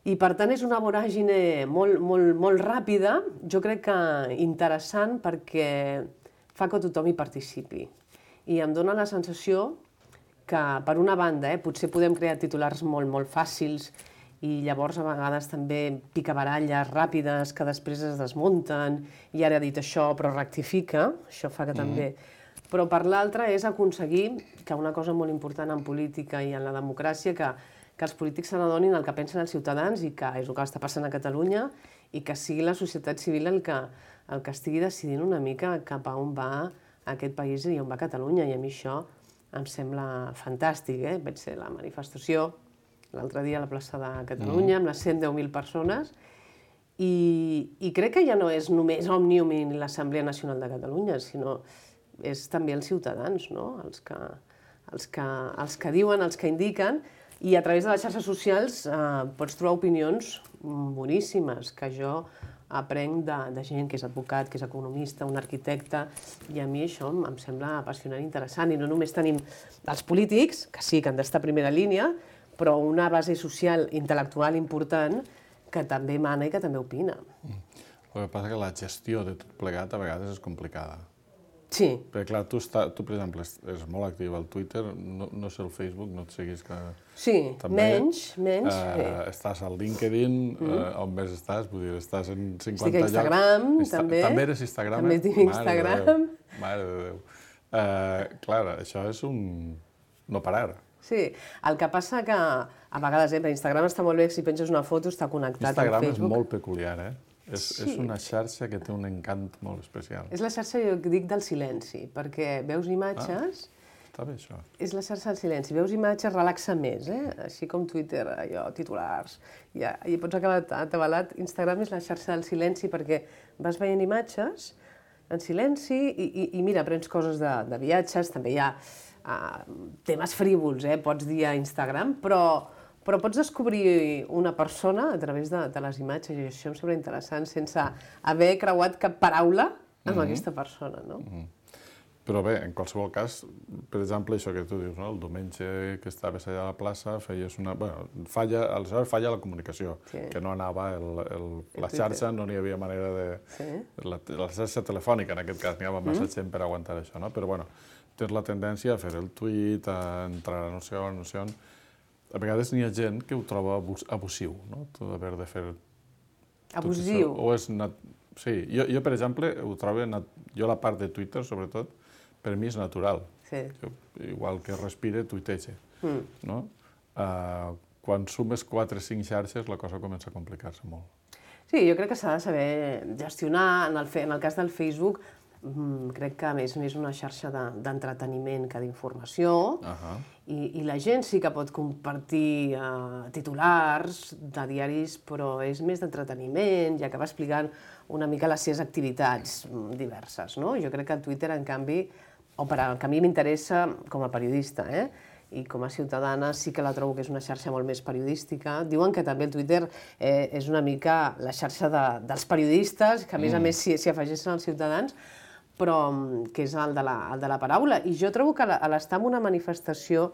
I per tant és una voràgine molt, molt, molt ràpida, jo crec que interessant perquè fa que tothom hi participi. I em dóna la sensació que, per una banda, eh, potser podem crear titulars molt, molt fàcils i llavors a vegades també picabaralles ràpides que després es desmunten i ara ha dit això però rectifica, això fa que mm. també... Però per l'altra és aconseguir que una cosa molt important en política i en la democràcia, que, que els polítics se n'adonin el que pensen els ciutadans i que és el que està passant a Catalunya i que sigui la societat civil el que, el que estigui decidint una mica cap a on va aquest país i on va Catalunya. I a mi això em sembla fantàstic. Eh? Vaig ser la manifestació l'altre dia a la plaça de Catalunya mm. amb les cent deu mil persones i, i crec que ja no és només Òmnium i l'Assemblea Nacional de Catalunya, sinó és també els ciutadans, no? els, que, els, que, els que diuen, els que indiquen, i a través de les xarxes socials eh, pots trobar opinions boníssimes, que jo aprenc de, de gent que és advocat, que és economista, un arquitecte, i a mi això em sembla apassionant i interessant. I no només tenim els polítics, que sí, que han d'estar a primera línia, però una base social, intel·lectual important, que també mana i que també opina. Mm. El que passa és que la gestió de tot plegat a vegades és complicada. Sí. Perquè, clar, tu, està, tu per exemple, és molt actiu al Twitter, no, no sé el Facebook, no et seguis que... Sí, també, menys, menys. Eh, sí. Estàs al LinkedIn, mm. eh, on més estàs? Vull dir, estàs en cinquanta Estic a Instagram, llocs. també. També eres Instagram? També tinc Instagram. Mare de Déu. Eh, clar, això és un... no parar. Sí, el que passa que a vegades, eh, per Instagram està molt bé, si penges una foto està connectat Instagram amb Facebook. Instagram és molt peculiar, eh? És, sí. és una xarxa que té un encant molt especial. És la xarxa, jo dic, del silenci, perquè veus imatges... Ah, està bé, això. És la xarxa del silenci. Veus imatges, relaxa més, eh? Així com Twitter, allò, titulars... Ja, i pots acabar atabalat. Instagram és la xarxa del silenci perquè vas veient imatges en silenci i, i, i mira, aprens coses de, de viatges, també hi ha uh, temes frívols, eh? Pots dir a Instagram, però... Però pots descobrir una persona a través de, de les imatges, i això em sembla interessant, sense haver creuat cap paraula amb mm-hmm. aquesta persona, no? Mm-hmm. Però bé, en qualsevol cas, per exemple, això que tu dius, no? El diumenge que estaves allà a la plaça, feies una... Bueno, falla, aleshores falla la comunicació, sí. que no anava el, el, la xarxa, no n'hi havia manera de... Sí. La, la xarxa telefònica, en aquest cas, n'hi havia massa mm. gent per aguantar això, no? Però, bueno, tens la tendència a fer el tuit, a entrar a no sé on, no sé on... A vegades n'hi ha gent que ho troba abus, abusiu, no? Tot haver de fer... Abusiu? O és... Nat... Sí, jo, jo, per exemple, ho trobo... Nat... Jo la part de Twitter, sobretot, per mi és natural. Sí. Jo, igual que respire, tuitege, mm. no? Uh, quan sumes quatre o cinc xarxes, la cosa comença a complicar-se molt. Sí, jo crec que s'ha de saber gestionar. En el, en el cas del Facebook, crec que a més és una xarxa d'entreteniment que d'informació, i la gent sí que pot compartir titulars de diaris, però és més d'entreteniment, ja que va explicant una mica les seves activitats diverses. Jo crec que el Twitter, en canvi, o per al que a mi m'interessa com a periodista, i com a ciutadana sí que la trobo que és una xarxa molt més periodística. Diuen que també el Twitter és una mica la xarxa dels periodistes, que a més a més s'hi afegeixen els ciutadans, però que és el de la paraula. I jo trobo que a l'estar en una manifestació,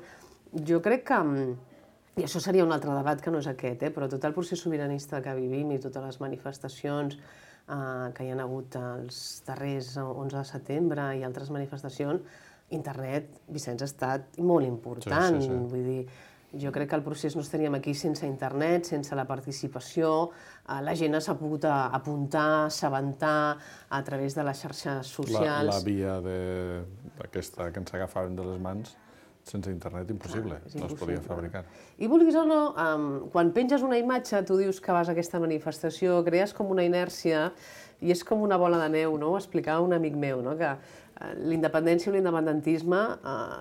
jo crec que, i això seria un altre debat que no és aquest, però tot el procés sobiranista que vivim i totes les manifestacions que hi ha hagut els darrers onze de setembre i altres manifestacions, internet, Vicenç, ha estat molt important. Vull dir, jo crec que el procés no estaríem aquí sense internet, sense la participació. La gent s'ha pogut apuntar, assabentar a través de les xarxes socials. La via d'aquesta que ens agafaven de les mans, sense internet, impossible, no es podia fabricar. I vulguis o no, quan penges una imatge, tu dius que vas a aquesta manifestació, crees com una inèrcia i és com una bola de neu, no? Ho explicava un amic meu, que la independència o l'independentisme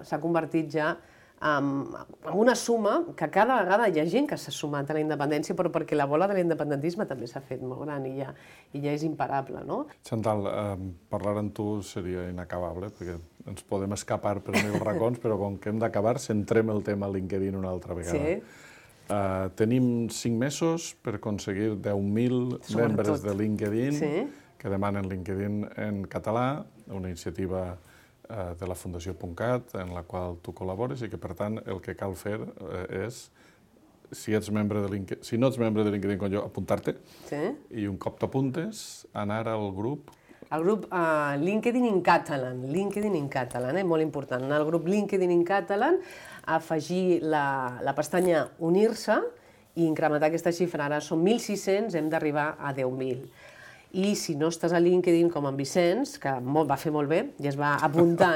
s'ha convertit ja en una suma que cada vegada hi ha gent que s'ha sumat a la independència, però perquè la bola de l'independentisme també s'ha fet molt gran i ja és imparable, no? Chantal, parlar amb tu seria inacabable, perquè ens podem escapar per mil racons, però com que hem d'acabar, centrem el tema a LinkedIn una altra vegada. Tenim cinc mesos per aconseguir deu mil membres de LinkedIn que demanen LinkedIn en català, una iniciativa de la Fundació .cat en la qual tu col·labores i que, per tant, el que cal fer és, si ets membre de LinkedIn, si no ets membre de LinkedIn com jo, apuntar-te i un cop t'apuntes, anar al grup... El grup LinkedIn in Catalan, LinkedIn in Catalan, molt important. Anar al grup LinkedIn in Catalan, afegir la pestanya Unir-se i incrementar aquesta xifra. Ara són mil sis-cents, hem d'arribar a deu mil. I si no estàs a LinkedIn com en Vicenç, que va fer molt bé, i es va apuntar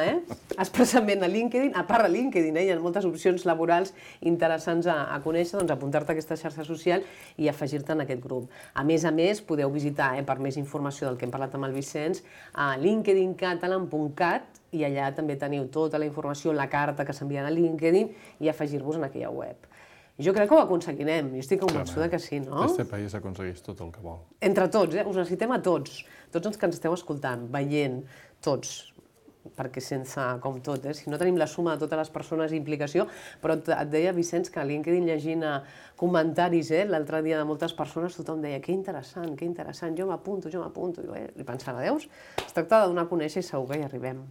expressament a LinkedIn, a part de LinkedIn, hi ha moltes opcions laborals interessants a conèixer, doncs apuntar-te a aquesta xarxa social i afegir-te en aquest grup. A més a més, podeu visitar, per més informació del que hem parlat amb el Vicenç, a linkedin catalan punt cat i allà també teniu tota la informació, la carta que s'envia a LinkedIn i afegir-vos en aquella web. Jo crec que ho aconseguirem, jo estic convençuda que sí, no? Este país aconsegueix tot el que vol. Entre tots, us necessitem a tots, tots els que ens esteu escoltant, veient, tots, perquè sense, com tot, si no tenim la suma de totes les persones i implicació, però et deia, Vicenç, que a LinkedIn llegint comentaris l'altre dia de moltes persones, tothom deia, que interessant, que interessant, jo m'apunto, jo m'apunto, i pensava, veus? Es tracta de donar a conèixer i segur que hi arribem.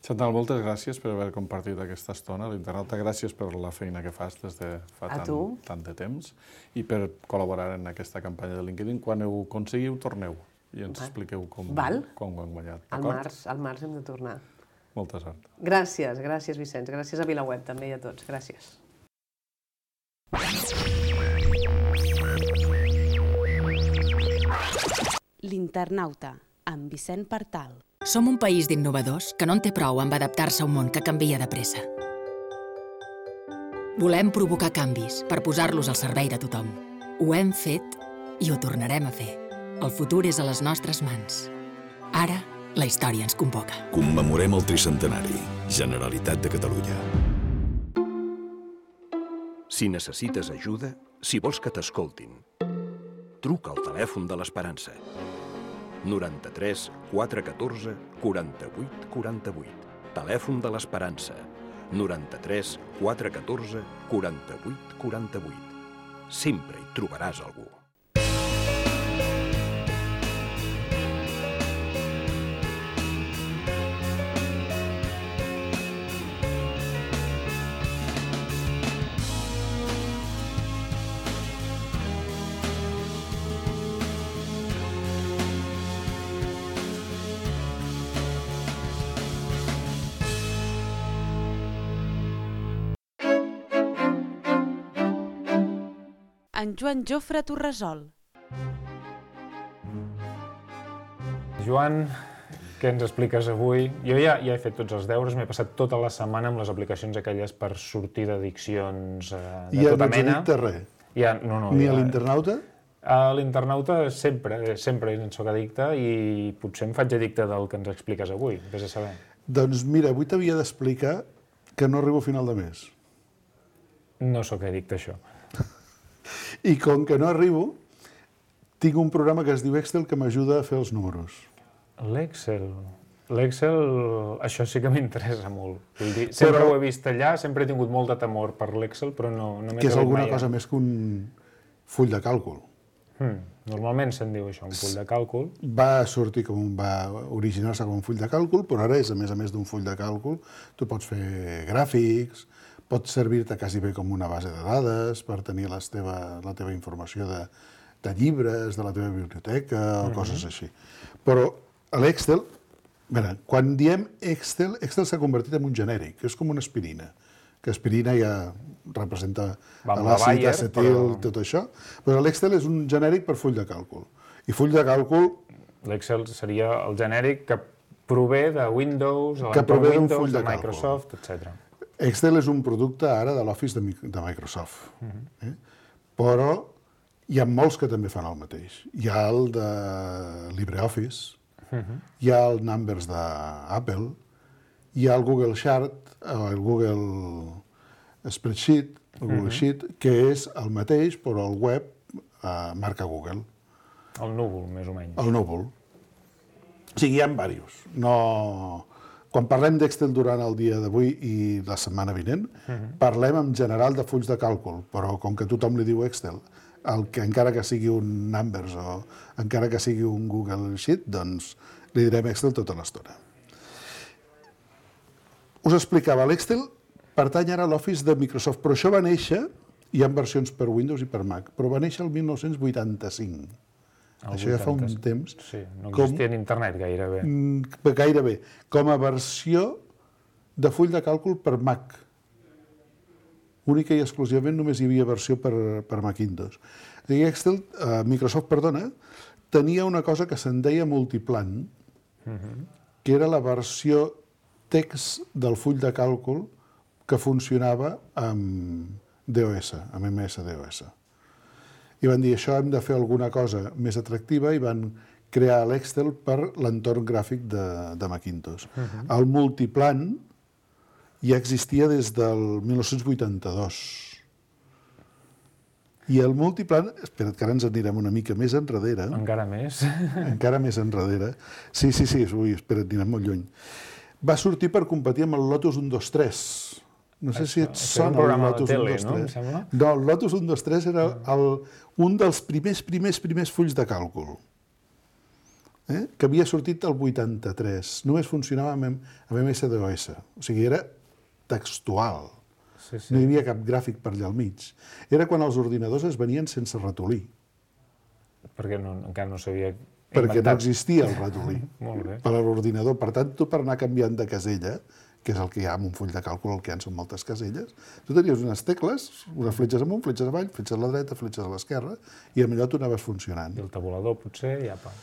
Chantal, moltes gràcies per haver compartit aquesta estona a l'Internauta, gràcies per la feina que fas des de fa tant de temps i per col·laborar en aquesta campanya de LinkedIn. Quan ho aconseguiu, torneu i ens expliqueu com ho han guanyat. Al març hem de tornar. Molta sort. Gràcies, gràcies, Vicenç. Gràcies a VilaWeb també i a tots. Gràcies. L'Internauta, amb Vicent Partal. Som un país d'innovadors que no en té prou amb adaptar-se a un món que canvia de pressa. Volem provocar canvis per posar-los al servei de tothom. Ho hem fet i ho tornarem a fer. El futur és a les nostres mans. Ara, la història ens convoca. Commemorem el tricentenari. Generalitat de Catalunya. Si necessites ajuda, si vols que t'escoltin, truca al telèfon de l'Esperança. noranta-tres quatre catorze quaranta-vuit quaranta-vuit. Telèfon de l'Esperança. noranta-tres quatre catorze quaranta-vuit quaranta-vuit. Sempre hi trobaràs algú. En Joan Jofre Torresol. Joan, què ens expliques avui? Jo ja he fet tots els deures, m'he passat tota la setmana amb les aplicacions aquelles per sortir d'addiccions de tota mena. I ja no ets addicte a res? Ni a l'Internauta? A l'internauta sempre, sempre en soc addicte i potser em faig addicte del que ens expliques avui, vés a saber. Doncs mira, avui t'havia d'explicar que no arribo a final de mes. No sóc addicte a això. I com que no arribo, tinc un programa que es diu Excel que m'ajuda a fer els números. L'Excel... L'Excel, això sí que m'interessa molt. Vull dir, sempre però... ho he vist allà, sempre he tingut molt de temor per l'Excel, però no, no m'he que és trobat alguna mai. cosa més que un full de càlcul. Hmm. Normalment se'n diu això, un full de càlcul. Va sortir com un, va originar-se com un full de càlcul, però ara és, a més a més d'un full de càlcul, tu pots fer gràfics, pots servir-te quasi bé com una base de dades per tenir les teva, la teva informació de, de llibres, de la teva biblioteca o mm-hmm. coses així. Però a l'Excel, mira, quan diem Excel, Excel s'ha convertit en un genèric, que és com una aspirina, que aspirina ja representa l'àcid, acetil, però... tot això. Però l'Excel és un genèric per full de càlcul. I full de càlcul... L'Excel seria el genèric que prové de Windows, de l'entorn Windows, de Microsoft, etcètera. Excel és un producte ara de l'Office de, de Microsoft. Uh-huh. eh? Però hi ha molts que també fan el mateix. Hi ha el de LibreOffice, uh-huh. hi ha el Numbers d'Apple, hi ha el Google Chart, el Google Spreadsheet, el Google uh-huh. Sheet, que és el mateix, però el web eh, marca Google. El núvol, més o menys. El núvol. O sigui, hi ha diversos. No... Quan parlem d'Excel durant el dia d'avui i la setmana vinent, uh-huh. parlem en general de fulls de càlcul, però com que tothom li diu Excel, el que encara que sigui un Numbers o encara que sigui un Google Sheet, doncs li direm Excel tota l'estona. Us explicava, l'Excel pertany ara a l'Office de Microsoft, però això va néixer, hi ha versions per Windows i per Mac, però va néixer el mil nou-cents vuitanta-cinc. El això ja fa un temps. Sí, no existia en internet gairebé. Gairebé, com a versió de full de càlcul per Mac. Única i exclusivament només hi havia versió per, per Macintosh. I Excel, eh, Microsoft, perdona, tenia una cosa que se'n deia multiplan, uh-huh. que era la versió text del full de càlcul que funcionava amb DOS, amb M S DOS. I van dir, això hem de fer alguna cosa més atractiva i van crear l'Excel per l'entorn gràfic de, de Macintosh. Uh-huh. El multiplan ja existia des del mil nou-cents vuitanta-dos. I el multiplan, espera't que ara ens anirem una mica més enrere. Encara més? Encara més enrere. Sí, sí, sí, ui, espera't, anirem molt lluny. Va sortir per competir amb el Lotus un dos tres. No sé si et sona el Lotus un dos tres. No, no, el Lotus un dos tres era el, un dels primers, primers, primers fulls de càlcul, eh? que havia sortit el vuitanta-tres. Només funcionava amb, amb M S DOS. O sigui, era textual. Sí, sí. No hi havia cap gràfic per allà al mig. Era quan els ordinadors es venien sense ratolí. Perquè no, encara no s'havia inventat. Perquè no existia el ratolí Molt bé. per a l'ordinador. Per tant, tu per anar canviant de casella, que és el que hi ha en un full de càlcul, el que hi ha són moltes caselles, tu tenies unes tecles, unes fletxes amunt, fletxes avall, fletxes a la dreta, fletxes a l'esquerra, i amb allò tu anaves funcionant. I el tabulador, potser, ja pa.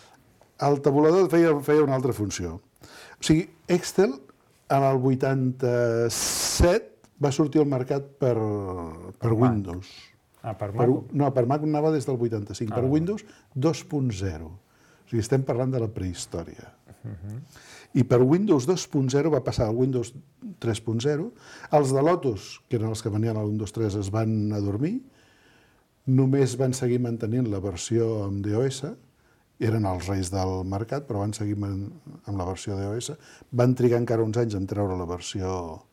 El tabulador feia, feia una altra funció. O sigui, Excel, en el vuitanta-set, va sortir al mercat per, per Windows. Ah, per Mac? Per, no, per Mac anava des del vuitanta-cinc. Ah, per Windows dos punt zero. O sigui, estem parlant de la prehistòria. Uh-huh. I per Windows dos punt zero va passar al Windows tres punt zero. Els de Lotus, que eren els que venien al Windows tres, es van adormir. Només van seguir mantenint la versió amb DOS. Eren els reis del mercat, però van seguir amb la versió DOS. Van trigar encara uns anys en treure la versió,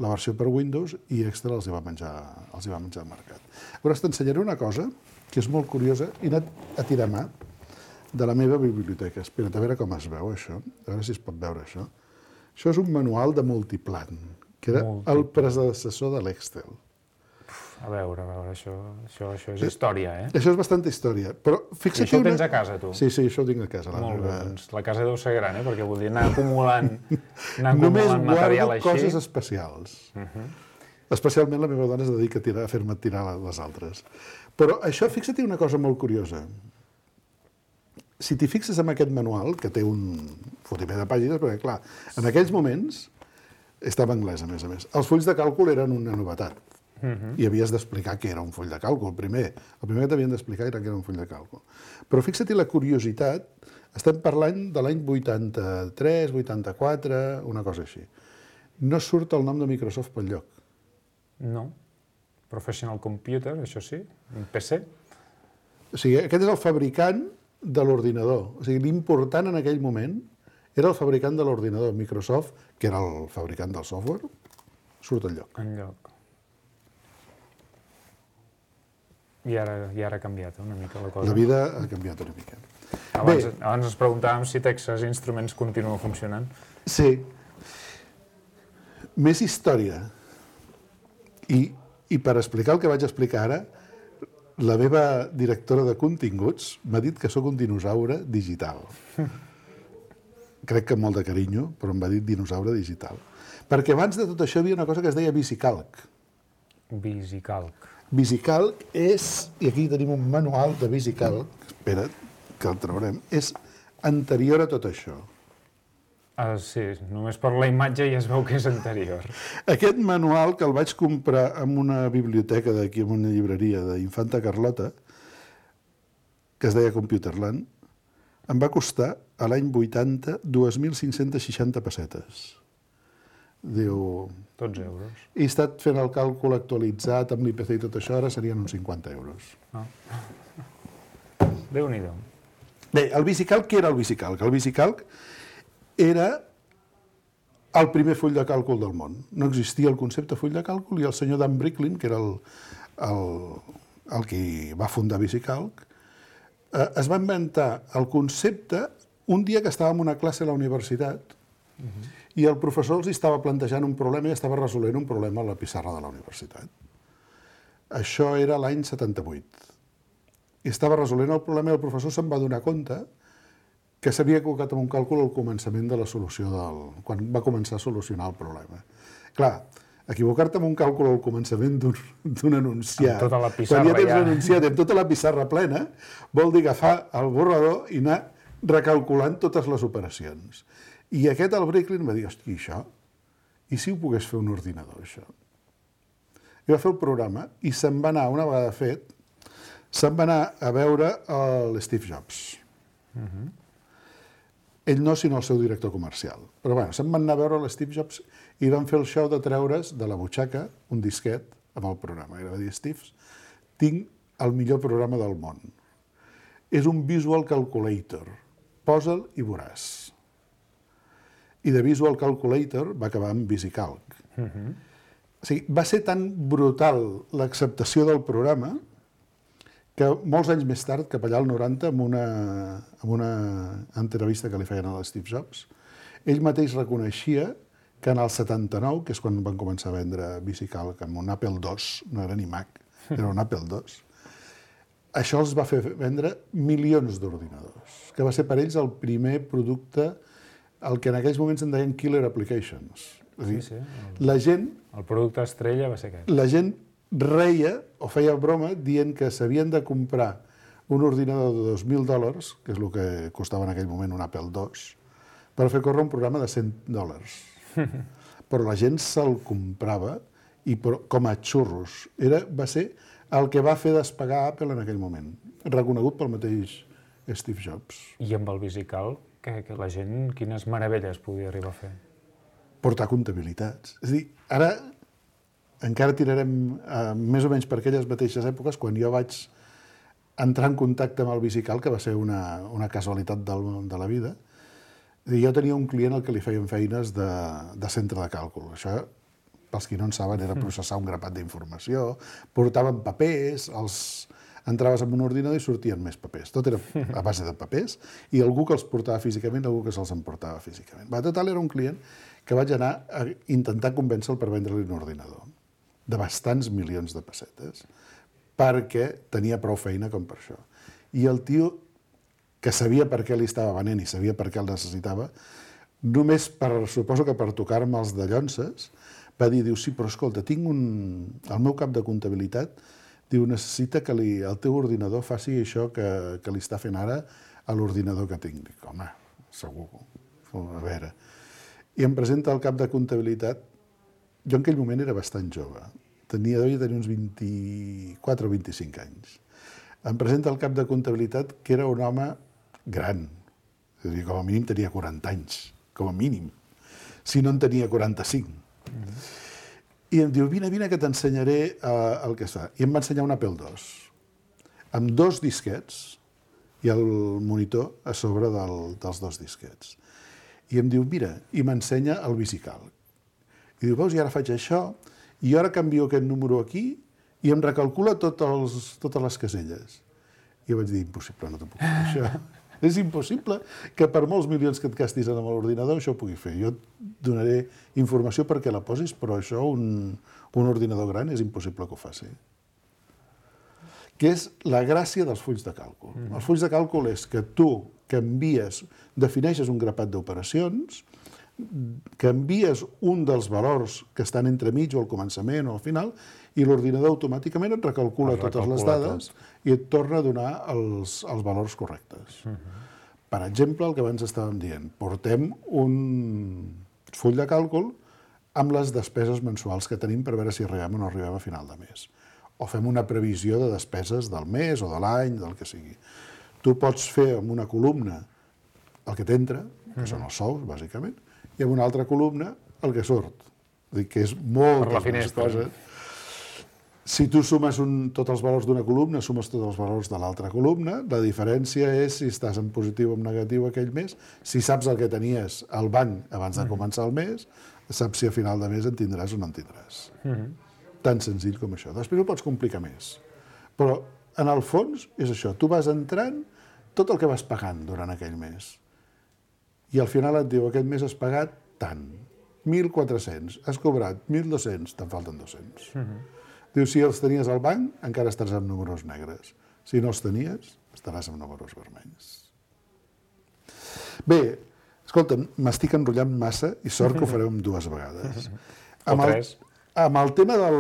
la versió per Windows i Excel els hi va menjar, els hi va menjar al mercat. Llavors t'ensenyaré una cosa que és molt curiosa. He anat a tirar mà de la meva biblioteca. Espera't, a veure com es veu això. A veure si es pot veure això. Això és un manual de multiplan, que era Multiplan. el predecessor de l'Excel. A veure, a veure, això, això, això és història, eh? Això és bastanta història, però fixa't... I això ho una... tens a casa, tu? Sí, sí, això ho tinc a casa. La Molt meva... bé, doncs la casa deu ser gran, eh? Perquè vull dir, anar acumulant, anar Només acumulant material guardo així... coses especials. Uh-huh. Especialment la meva dona es dedica a, tirar, a fer-me tirar les altres. Però això, fixa't una cosa molt curiosa. Si t'hi fixes en aquest manual, que té un fotimer de pàgines, perquè, clar, en aquells moments, estava en anglès, a més a més, els fulls de càlcul eren una novetat. i havies d'explicar què era un full de càlcul, primer. El primer que t'havien d'explicar era què era un full de càlcul. Però fixa't la curiositat, estem parlant de l'any vuitanta-tres, vuitanta-quatre, una cosa així. No surt el nom de Microsoft pel lloc. No. Professional Computer, això sí, un P C. O sigui, aquest és el fabricant de l'ordinador. O sigui, l'important en aquell moment era el fabricant de l'ordinador. Microsoft, que era el fabricant del software, surt al lloc. En lloc. I ara, i ara ha canviat una mica la cosa. La vida ha canviat una mica. Abans, abans ens preguntàvem si Texas Instruments continua funcionant. Sí. Més història. I, I per explicar el que vaig explicar ara, la meva directora de continguts m'ha dit que sóc un dinosaure digital. Crec que amb molt de carinyo, però em va dir dinosaure digital. Perquè abans de tot això hi havia una cosa que es deia VisiCalc. VisiCalc. VisiCalc és, i aquí tenim un manual de VisiCalc, espera't, que el traurem, és anterior a tot això. Ah, sí, només per la imatge ja es veu que és anterior. Aquest manual, que el vaig comprar en una biblioteca d'aquí, en una llibreria d'Infanta Carlota, que es deia Computerland, em va costar, a l'any vuitanta, dos mil cinc-cents seixanta pessetes. Diu... Tots euros. He estat fent el càlcul actualitzat amb l'I P C i tot això, ara serien uns cinquanta euros. Ah. Déu-n'hi-do. Bé, el VisiCalc, què era el VisiCalc? El VisiCalc era el primer full de càlcul del món. No existia el concepte full de càlcul i el senyor Dan Bricklin, que era el, el, el que va fundar VisiCalc, eh, es va inventar el concepte un dia que estàvem en una classe a la universitat uh-huh. i el professor els estava plantejant un problema i estava resolent un problema a la pissarra de la universitat. Això era l'any setanta-vuit. I estava resolent el problema i el professor se'n va donar compte que s'havia equivocat amb un càlcul al començament de la solució del... quan va començar a solucionar el problema. Clar, equivocar-te amb un càlcul al començament d'un enunciat... Amb tota la pissarra quan ja tens ja... l'enunciat amb tota la pissarra plena, vol dir agafar el borrador i anar recalculant totes les operacions. I aquest, el Bricklin, va dir, hosti, això? I si ho pogués fer un ordinador, això? I va fer el programa i se'n va anar, una vegada fet, se'n va anar a veure l'Steve Jobs. Uh-huh. Ell no, sinó el seu director comercial. Però bueno, se'n van anar a veure l'Steve Jobs i van fer el show de treure's de la butxaca un disquet amb el programa. I va dir, Steve, tinc el millor programa del món. És un Visual Calculator. Posa'l i veuràs. I de Visual Calculator va acabar amb VisiCalc. Uh-huh. O sigui, va ser tan brutal l'acceptació del programa que molts anys més tard, cap allà al noranta, amb una, amb una entrevista que li feien a l'Steve Jobs, ell mateix reconeixia que en el setanta-nou, que és quan van començar a vendre VisiCalc amb un Apple dos, no era ni Mac, era un Apple dos, això els va fer vendre milions d'ordinadors, que va ser per ells el primer producte, el que en aquells moments en deien killer applications. És dir, sí, sí. El, la gent... El producte estrella va ser aquest. La gent reia o feia broma dient que s'havien de comprar un ordinador de dos mil dòlars, que és el que costava en aquell moment un Apple dos, per fer córrer un programa de cent dòlars. Però la gent se'l comprava i com a xurros. Era, va ser el que va fer despegar Apple en aquell moment, reconegut pel mateix Steve Jobs. I amb el VisiCalc, que, que la gent, quines meravelles podia arribar a fer? Portar comptabilitats. És a dir, ara encara tirarem eh, més o menys per aquelles mateixes èpoques, quan jo vaig entrar en contacte amb el VisiCalc, que va ser una, una casualitat del, de la vida. És a dir, jo tenia un client al que li feien feines de, de centre de càlcul. Això, pels qui no en saben, era processar un grapat d'informació, portaven papers, els entraves en un ordinador i sortien més papers. Tot era a base de papers i algú que els portava físicament, algú que se'ls emportava físicament. Va, total, era un client que vaig anar a intentar convèncer-lo per vendre-li un ordinador de bastants milions de pessetes perquè tenia prou feina com per això. I el tio, que sabia per què li estava venent i sabia per què el necessitava, només per, suposo que per tocar-me els de llonces, va dir, diu, sí, però escolta, tinc un... el meu cap de comptabilitat, diu, necessita que li, el teu ordinador faci això que, que li està fent ara a l'ordinador que tinc. Dic, home, segur, a veure. I em presenta el cap de comptabilitat. Jo en aquell moment era bastant jove. tenia, devia tenir uns vint-i-quatre o vint-i-cinc anys. Em presenta el cap de comptabilitat, que era un home gran. És a dir, com a mínim tenia quaranta anys, com a mínim. Si no en tenia quaranta-cinc. Mm. I em diu, vine, vine, que t'ensenyaré uh, el que es fa. I em va ensenyar un Apple dos, amb dos disquets i el monitor a sobre del, dels dos disquets. I em diu, mira, i m'ensenya el VisiCalc. I diu, veus, i ara faig això, i ara canvio aquest número aquí, i em recalcula tot els, totes les caselles. I jo vaig dir, impossible, no t'ho puc fer, això. És impossible que per molts milions que et gastis amb l'ordinador això ho pugui fer. Jo et donaré informació perquè la posis, però això, un, un ordinador gran, és impossible que ho faci. Que és la gràcia dels fulls de càlcul. Mm. Els fulls de càlcul és que tu canvies, defineixes un grapat d'operacions, canvies un dels valors que estan entremig o al començament o al final, i l'ordinador automàticament et recalcula, recalcula totes les dades tot. I et torna a donar els, els valors correctes. Uh-huh. Per exemple, el que abans estàvem dient, portem un full de càlcul amb les despeses mensuals que tenim per veure si arribem o no arribem a final de mes. O fem una previsió de despeses del mes o de l'any, del que sigui. Tu pots fer amb una columna el que t'entra, que uh-huh. són els sous, bàsicament, i amb una altra columna el que surt. És dir, que és moltes més coses. Si tu sumes un, tots els valors d'una columna, sumes tots els valors de l'altra columna, la diferència és si estàs en positiu o en negatiu aquell mes, si saps el que tenies al banc abans de començar el mes, saps si a final de mes en tindràs o no en tindràs. Mm-hmm. Tan senzill com això. Després ho pots complicar més. Però, en el fons, és això. Tu vas entrant tot el que vas pagant durant aquell mes. I al final et diu, aquest mes has pagat tant, mil quatre-cents, has cobrat mil dos-cents, te'n falten dos-cents. Mm-hmm. Diu, si els tenies al banc, encara estaràs amb números negres. Si no els tenies, estaràs amb números vermells. Bé, escolta'm, m'estic enrotllant massa i sort que ho farem dues vegades. Amb el, amb el tema del,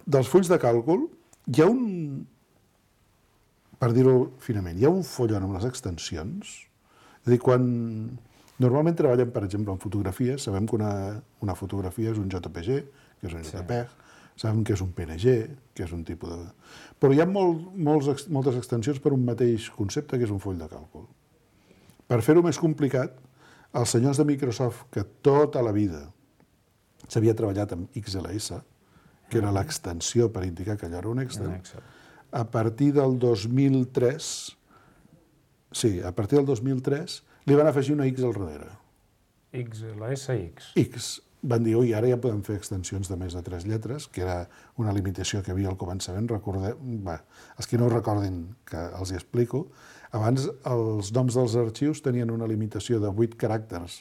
dels fulls de càlcul, hi ha un, per dir-ho finament, hi ha un follon amb les extensions. És a dir, quan normalment treballem, per exemple, en fotografies, sabem que una, una fotografia és un J P G, que és un JPEG, sí. Sabem que és un P N G, que és un tipus de... Però hi ha molt, molts, moltes extensions per un mateix concepte, que és un full de càlcul. Per fer-ho més complicat, els senyors de Microsoft, que tota la vida s'havia treballat amb X L S, que era l'extensió per indicar que allò era un Excel, a partir del dos mil tres, sí, a partir del dos mil tres, li van afegir una X al darrere. X L S X. X. Van dir, ui, ara ja podem fer extensions de més de tres lletres, que era una limitació que hi havia al començament. Recordem, bé, els que no ho recordin, que els hi explico, abans els noms dels arxius tenien una limitació de vuit caràcters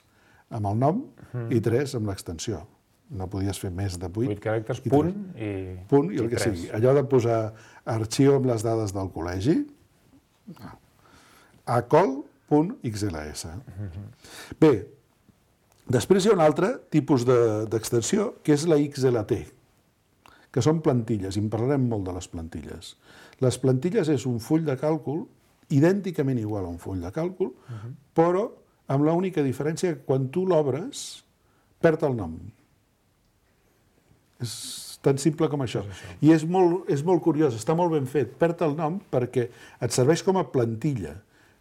amb el nom mm. i tres amb l'extensió. No podies fer més de vuit. Vuit caràcters, i punt i... Punt i el i que tres. Sigui. Allò de posar arxiu amb les dades del col·legi, acol punt X L S. Mm-hmm. Bé, després hi ha un altre tipus d'extensió, de, que és la X L T, que són plantilles, i en parlarem molt de les plantilles. Les plantilles és un full de càlcul, idènticament igual a un full de càlcul, uh-huh. però amb l'única diferència que quan tu l'obres, perd el nom. És tan simple com això. És això. I és molt, és molt curiós, està molt ben fet. Perd el nom perquè et serveix com a plantilla.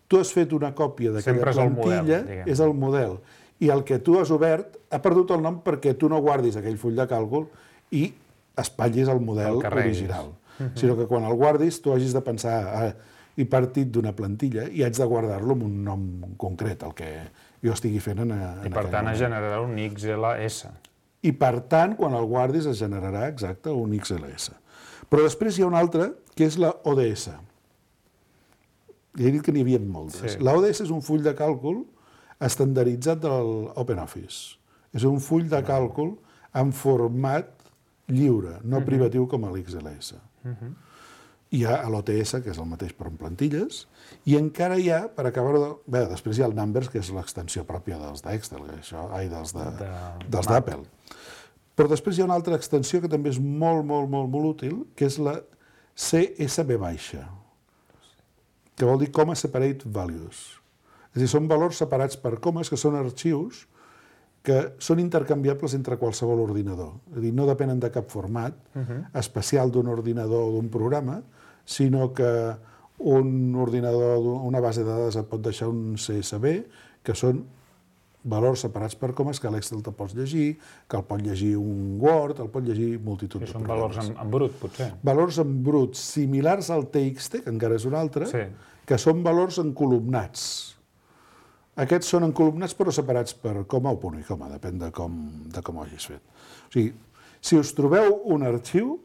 Tu has fet una còpia d'aquella plantilla, és el model, és el model. I el que tu has obert ha perdut el nom perquè tu no guardis aquell full de càlcul i espatllis el model el original. Uh-huh. Sinó que quan el guardis tu hagis de pensar, ah, he partit d'una plantilla i haig de guardar-lo amb un nom concret, el que jo estigui fent en, en I per tant es generarà un X L S. I per tant, quan el guardis es generarà, exacte, un X L S. Però després hi ha un altre, que és la O D S. Ja he dit que n'hi havia moltes. Sí. La O D S és un full de càlcul estandarditzat de l'OpenOffice. És un full de càlcul en format lliure, no uh-huh. privatiu com l'X L S. Uh-huh. Hi ha l'O T S, que és el mateix però en plantilles, i encara hi ha, per acabar de... Bé, després hi ha el Numbers, que és l'extensió pròpia dels d'Excel, això, ai, dels de, de, dels d'Apple. Però després hi ha una altra extensió que també és molt, molt, molt, molt útil, que és la C S V baixa, que vol dir Comma Separate Values. És a dir, són valors separats per comes, que són arxius que són intercanviables entre qualsevol ordinador. És a dir, no depenen de cap format especial d'un ordinador o d'un programa, sinó que un ordinador, una base de dades et pot deixar un C S V, que són valors separats per comes que l'Excel te pots llegir, que el pot llegir un Word, el pot llegir multitud de programes. Són valors en, en brut, potser? Valors en brut, similars al T X T, que encara és un altre, sí. que són valors encolumnats. Aquests són encolumnats però separats per coma o punt i coma, depèn de com, de com ho hagis fet. O sigui, si us trobeu un arxiu,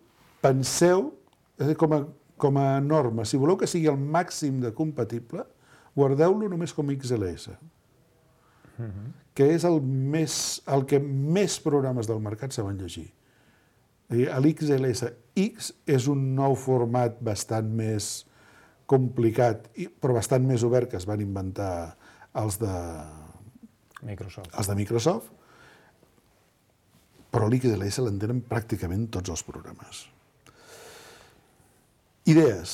penseu, és a dir, com a, com a norma, si voleu que sigui el màxim de compatible, guardeu-lo només com X L S. Que és el, més, el que més programes del mercat saben llegir. L'X L S X és un nou format bastant més complicat, però bastant més obert que es van inventar els de Microsoft. Els de Microsoft, però l'X L S l'entenen pràcticament tots els programes. Idees,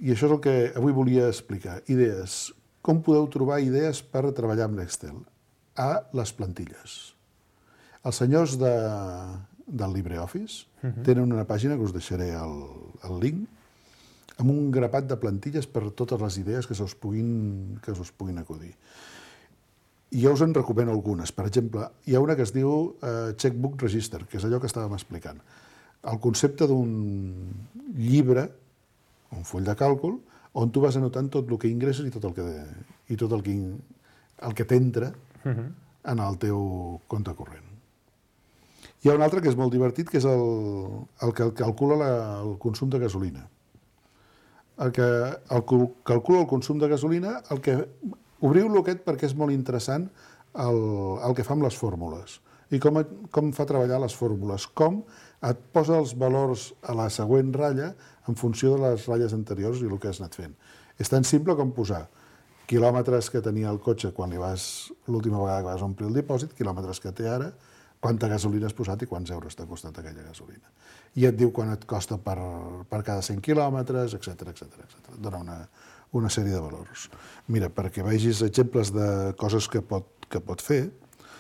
i això és el que avui volia explicar. Idees. Com podeu trobar idees per treballar amb l'Excel? A les plantilles. Els senyors de, del LibreOffice uh-huh. tenen una pàgina que us deixaré el, el link, amb un grapat de plantilles per totes les idees que us puguin, que us puguin acudir. I jo us en recomano algunes. Per exemple, hi ha una que es diu uh, Checkbook Register, que és allò que estàvem explicant. El concepte d'un llibre, un full de càlcul, on tu vas anotant tot el que ingresses i tot el que, i tot el que, el que t'entra uh-huh. en el teu compte corrent. Hi ha un altre que és molt divertit, que és el, el que calcula la, el consum de gasolina. El que el, calcula el consum de gasolina, el que obriu-lo aquest perquè és molt interessant el, el que fa amb les fórmules i com, com fa treballar les fórmules, com et posa els valors a la següent ratlla en funció de les ratlles anteriors i el que has anat fent. És tan simple com posar quilòmetres que tenia el cotxe quan li vas, l'última vegada que vas omplir el dipòsit, quilòmetres que té ara, quanta gasolina has posat i quants euros t'ha costat aquella gasolina. I et diu quan et costa per, per cada cent quilòmetres, etcètera, etcètera, etcètera. Dona una, una sèrie de valors. Mira, perquè vegis exemples de coses que pot, que pot fer.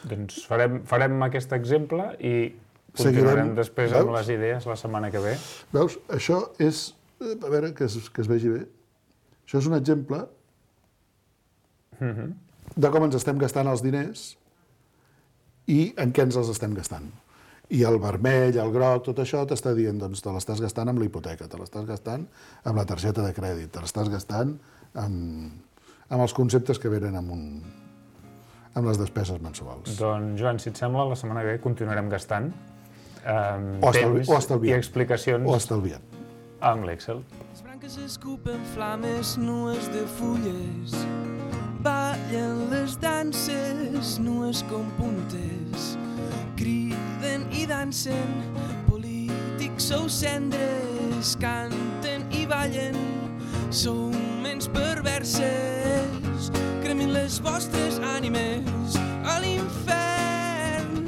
Doncs farem, farem aquest exemple i continuarem Seguirem, després amb veus? les idees la setmana que ve. Veus? Això és, a veure, que es, que es vegi bé. Això és un exemple uh-huh. de com ens estem gastant els diners i en què ens els estem gastant. I el vermell, el groc, tot això t'està dient, doncs te l'estàs gastant amb la hipoteca, te l'estàs gastant amb la targeta de crèdit, te l'estàs gastant amb, amb els conceptes que venen amb, un, amb les despeses mensuals. Doncs, Joan, si et sembla, la setmana que ve continuarem gastant um, o estalvi, temps o estalviant. i explicacions o estalviant. amb l'Excel. Les branques escupen flames nues de fulles, ballen les danses nues com puntes, criden i dansen, polítics sou cendres, canten i ballen, sou ments perverses, cremin les vostres ànimes a l'infern,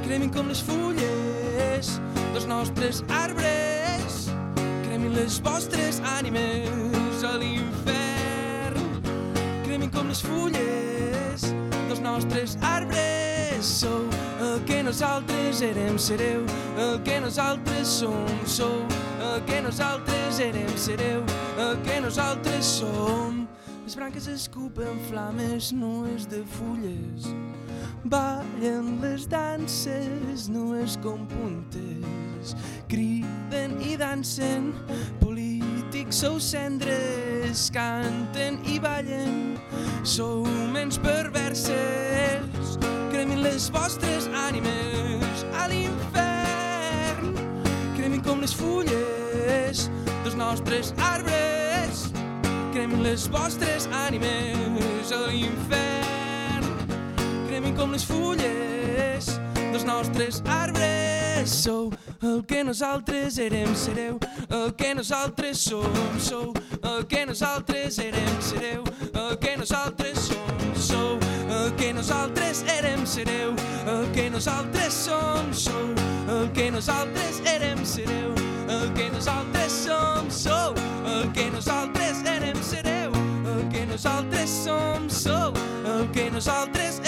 cremin com les fulles dels nostres arbres, cremin les vostres ànimes a l'infern, cremin com les fulles dels nostres arbres, sou el que nosaltres érem, sereu, el que nosaltres som, sou, el que nosaltres érem, sereu, el que nosaltres som. Les branques escupen flames nues de fulles, ballen les danses nues com puntes, criden i dansen, polítics sou cendres, canten i ballen, sou ments perverses, cremin les vostres ànimes a l'infern, cremin com les fulles dels nostres arbres, cremin les vostres ànimes a l'infern, cremin com les fulles dels nostres arbres, sou el que nosaltres érem, sereu, el que nosaltres som, sou el que nosaltres érem, sereu, el que nosaltres som, sou el que nosaltres érem, sereu, el que nosaltres som, sou el que nosaltres érem, sereu, el que nosaltres som, sou el que nosaltres érem, sereu, el que nosaltres som, sou el que nosaltres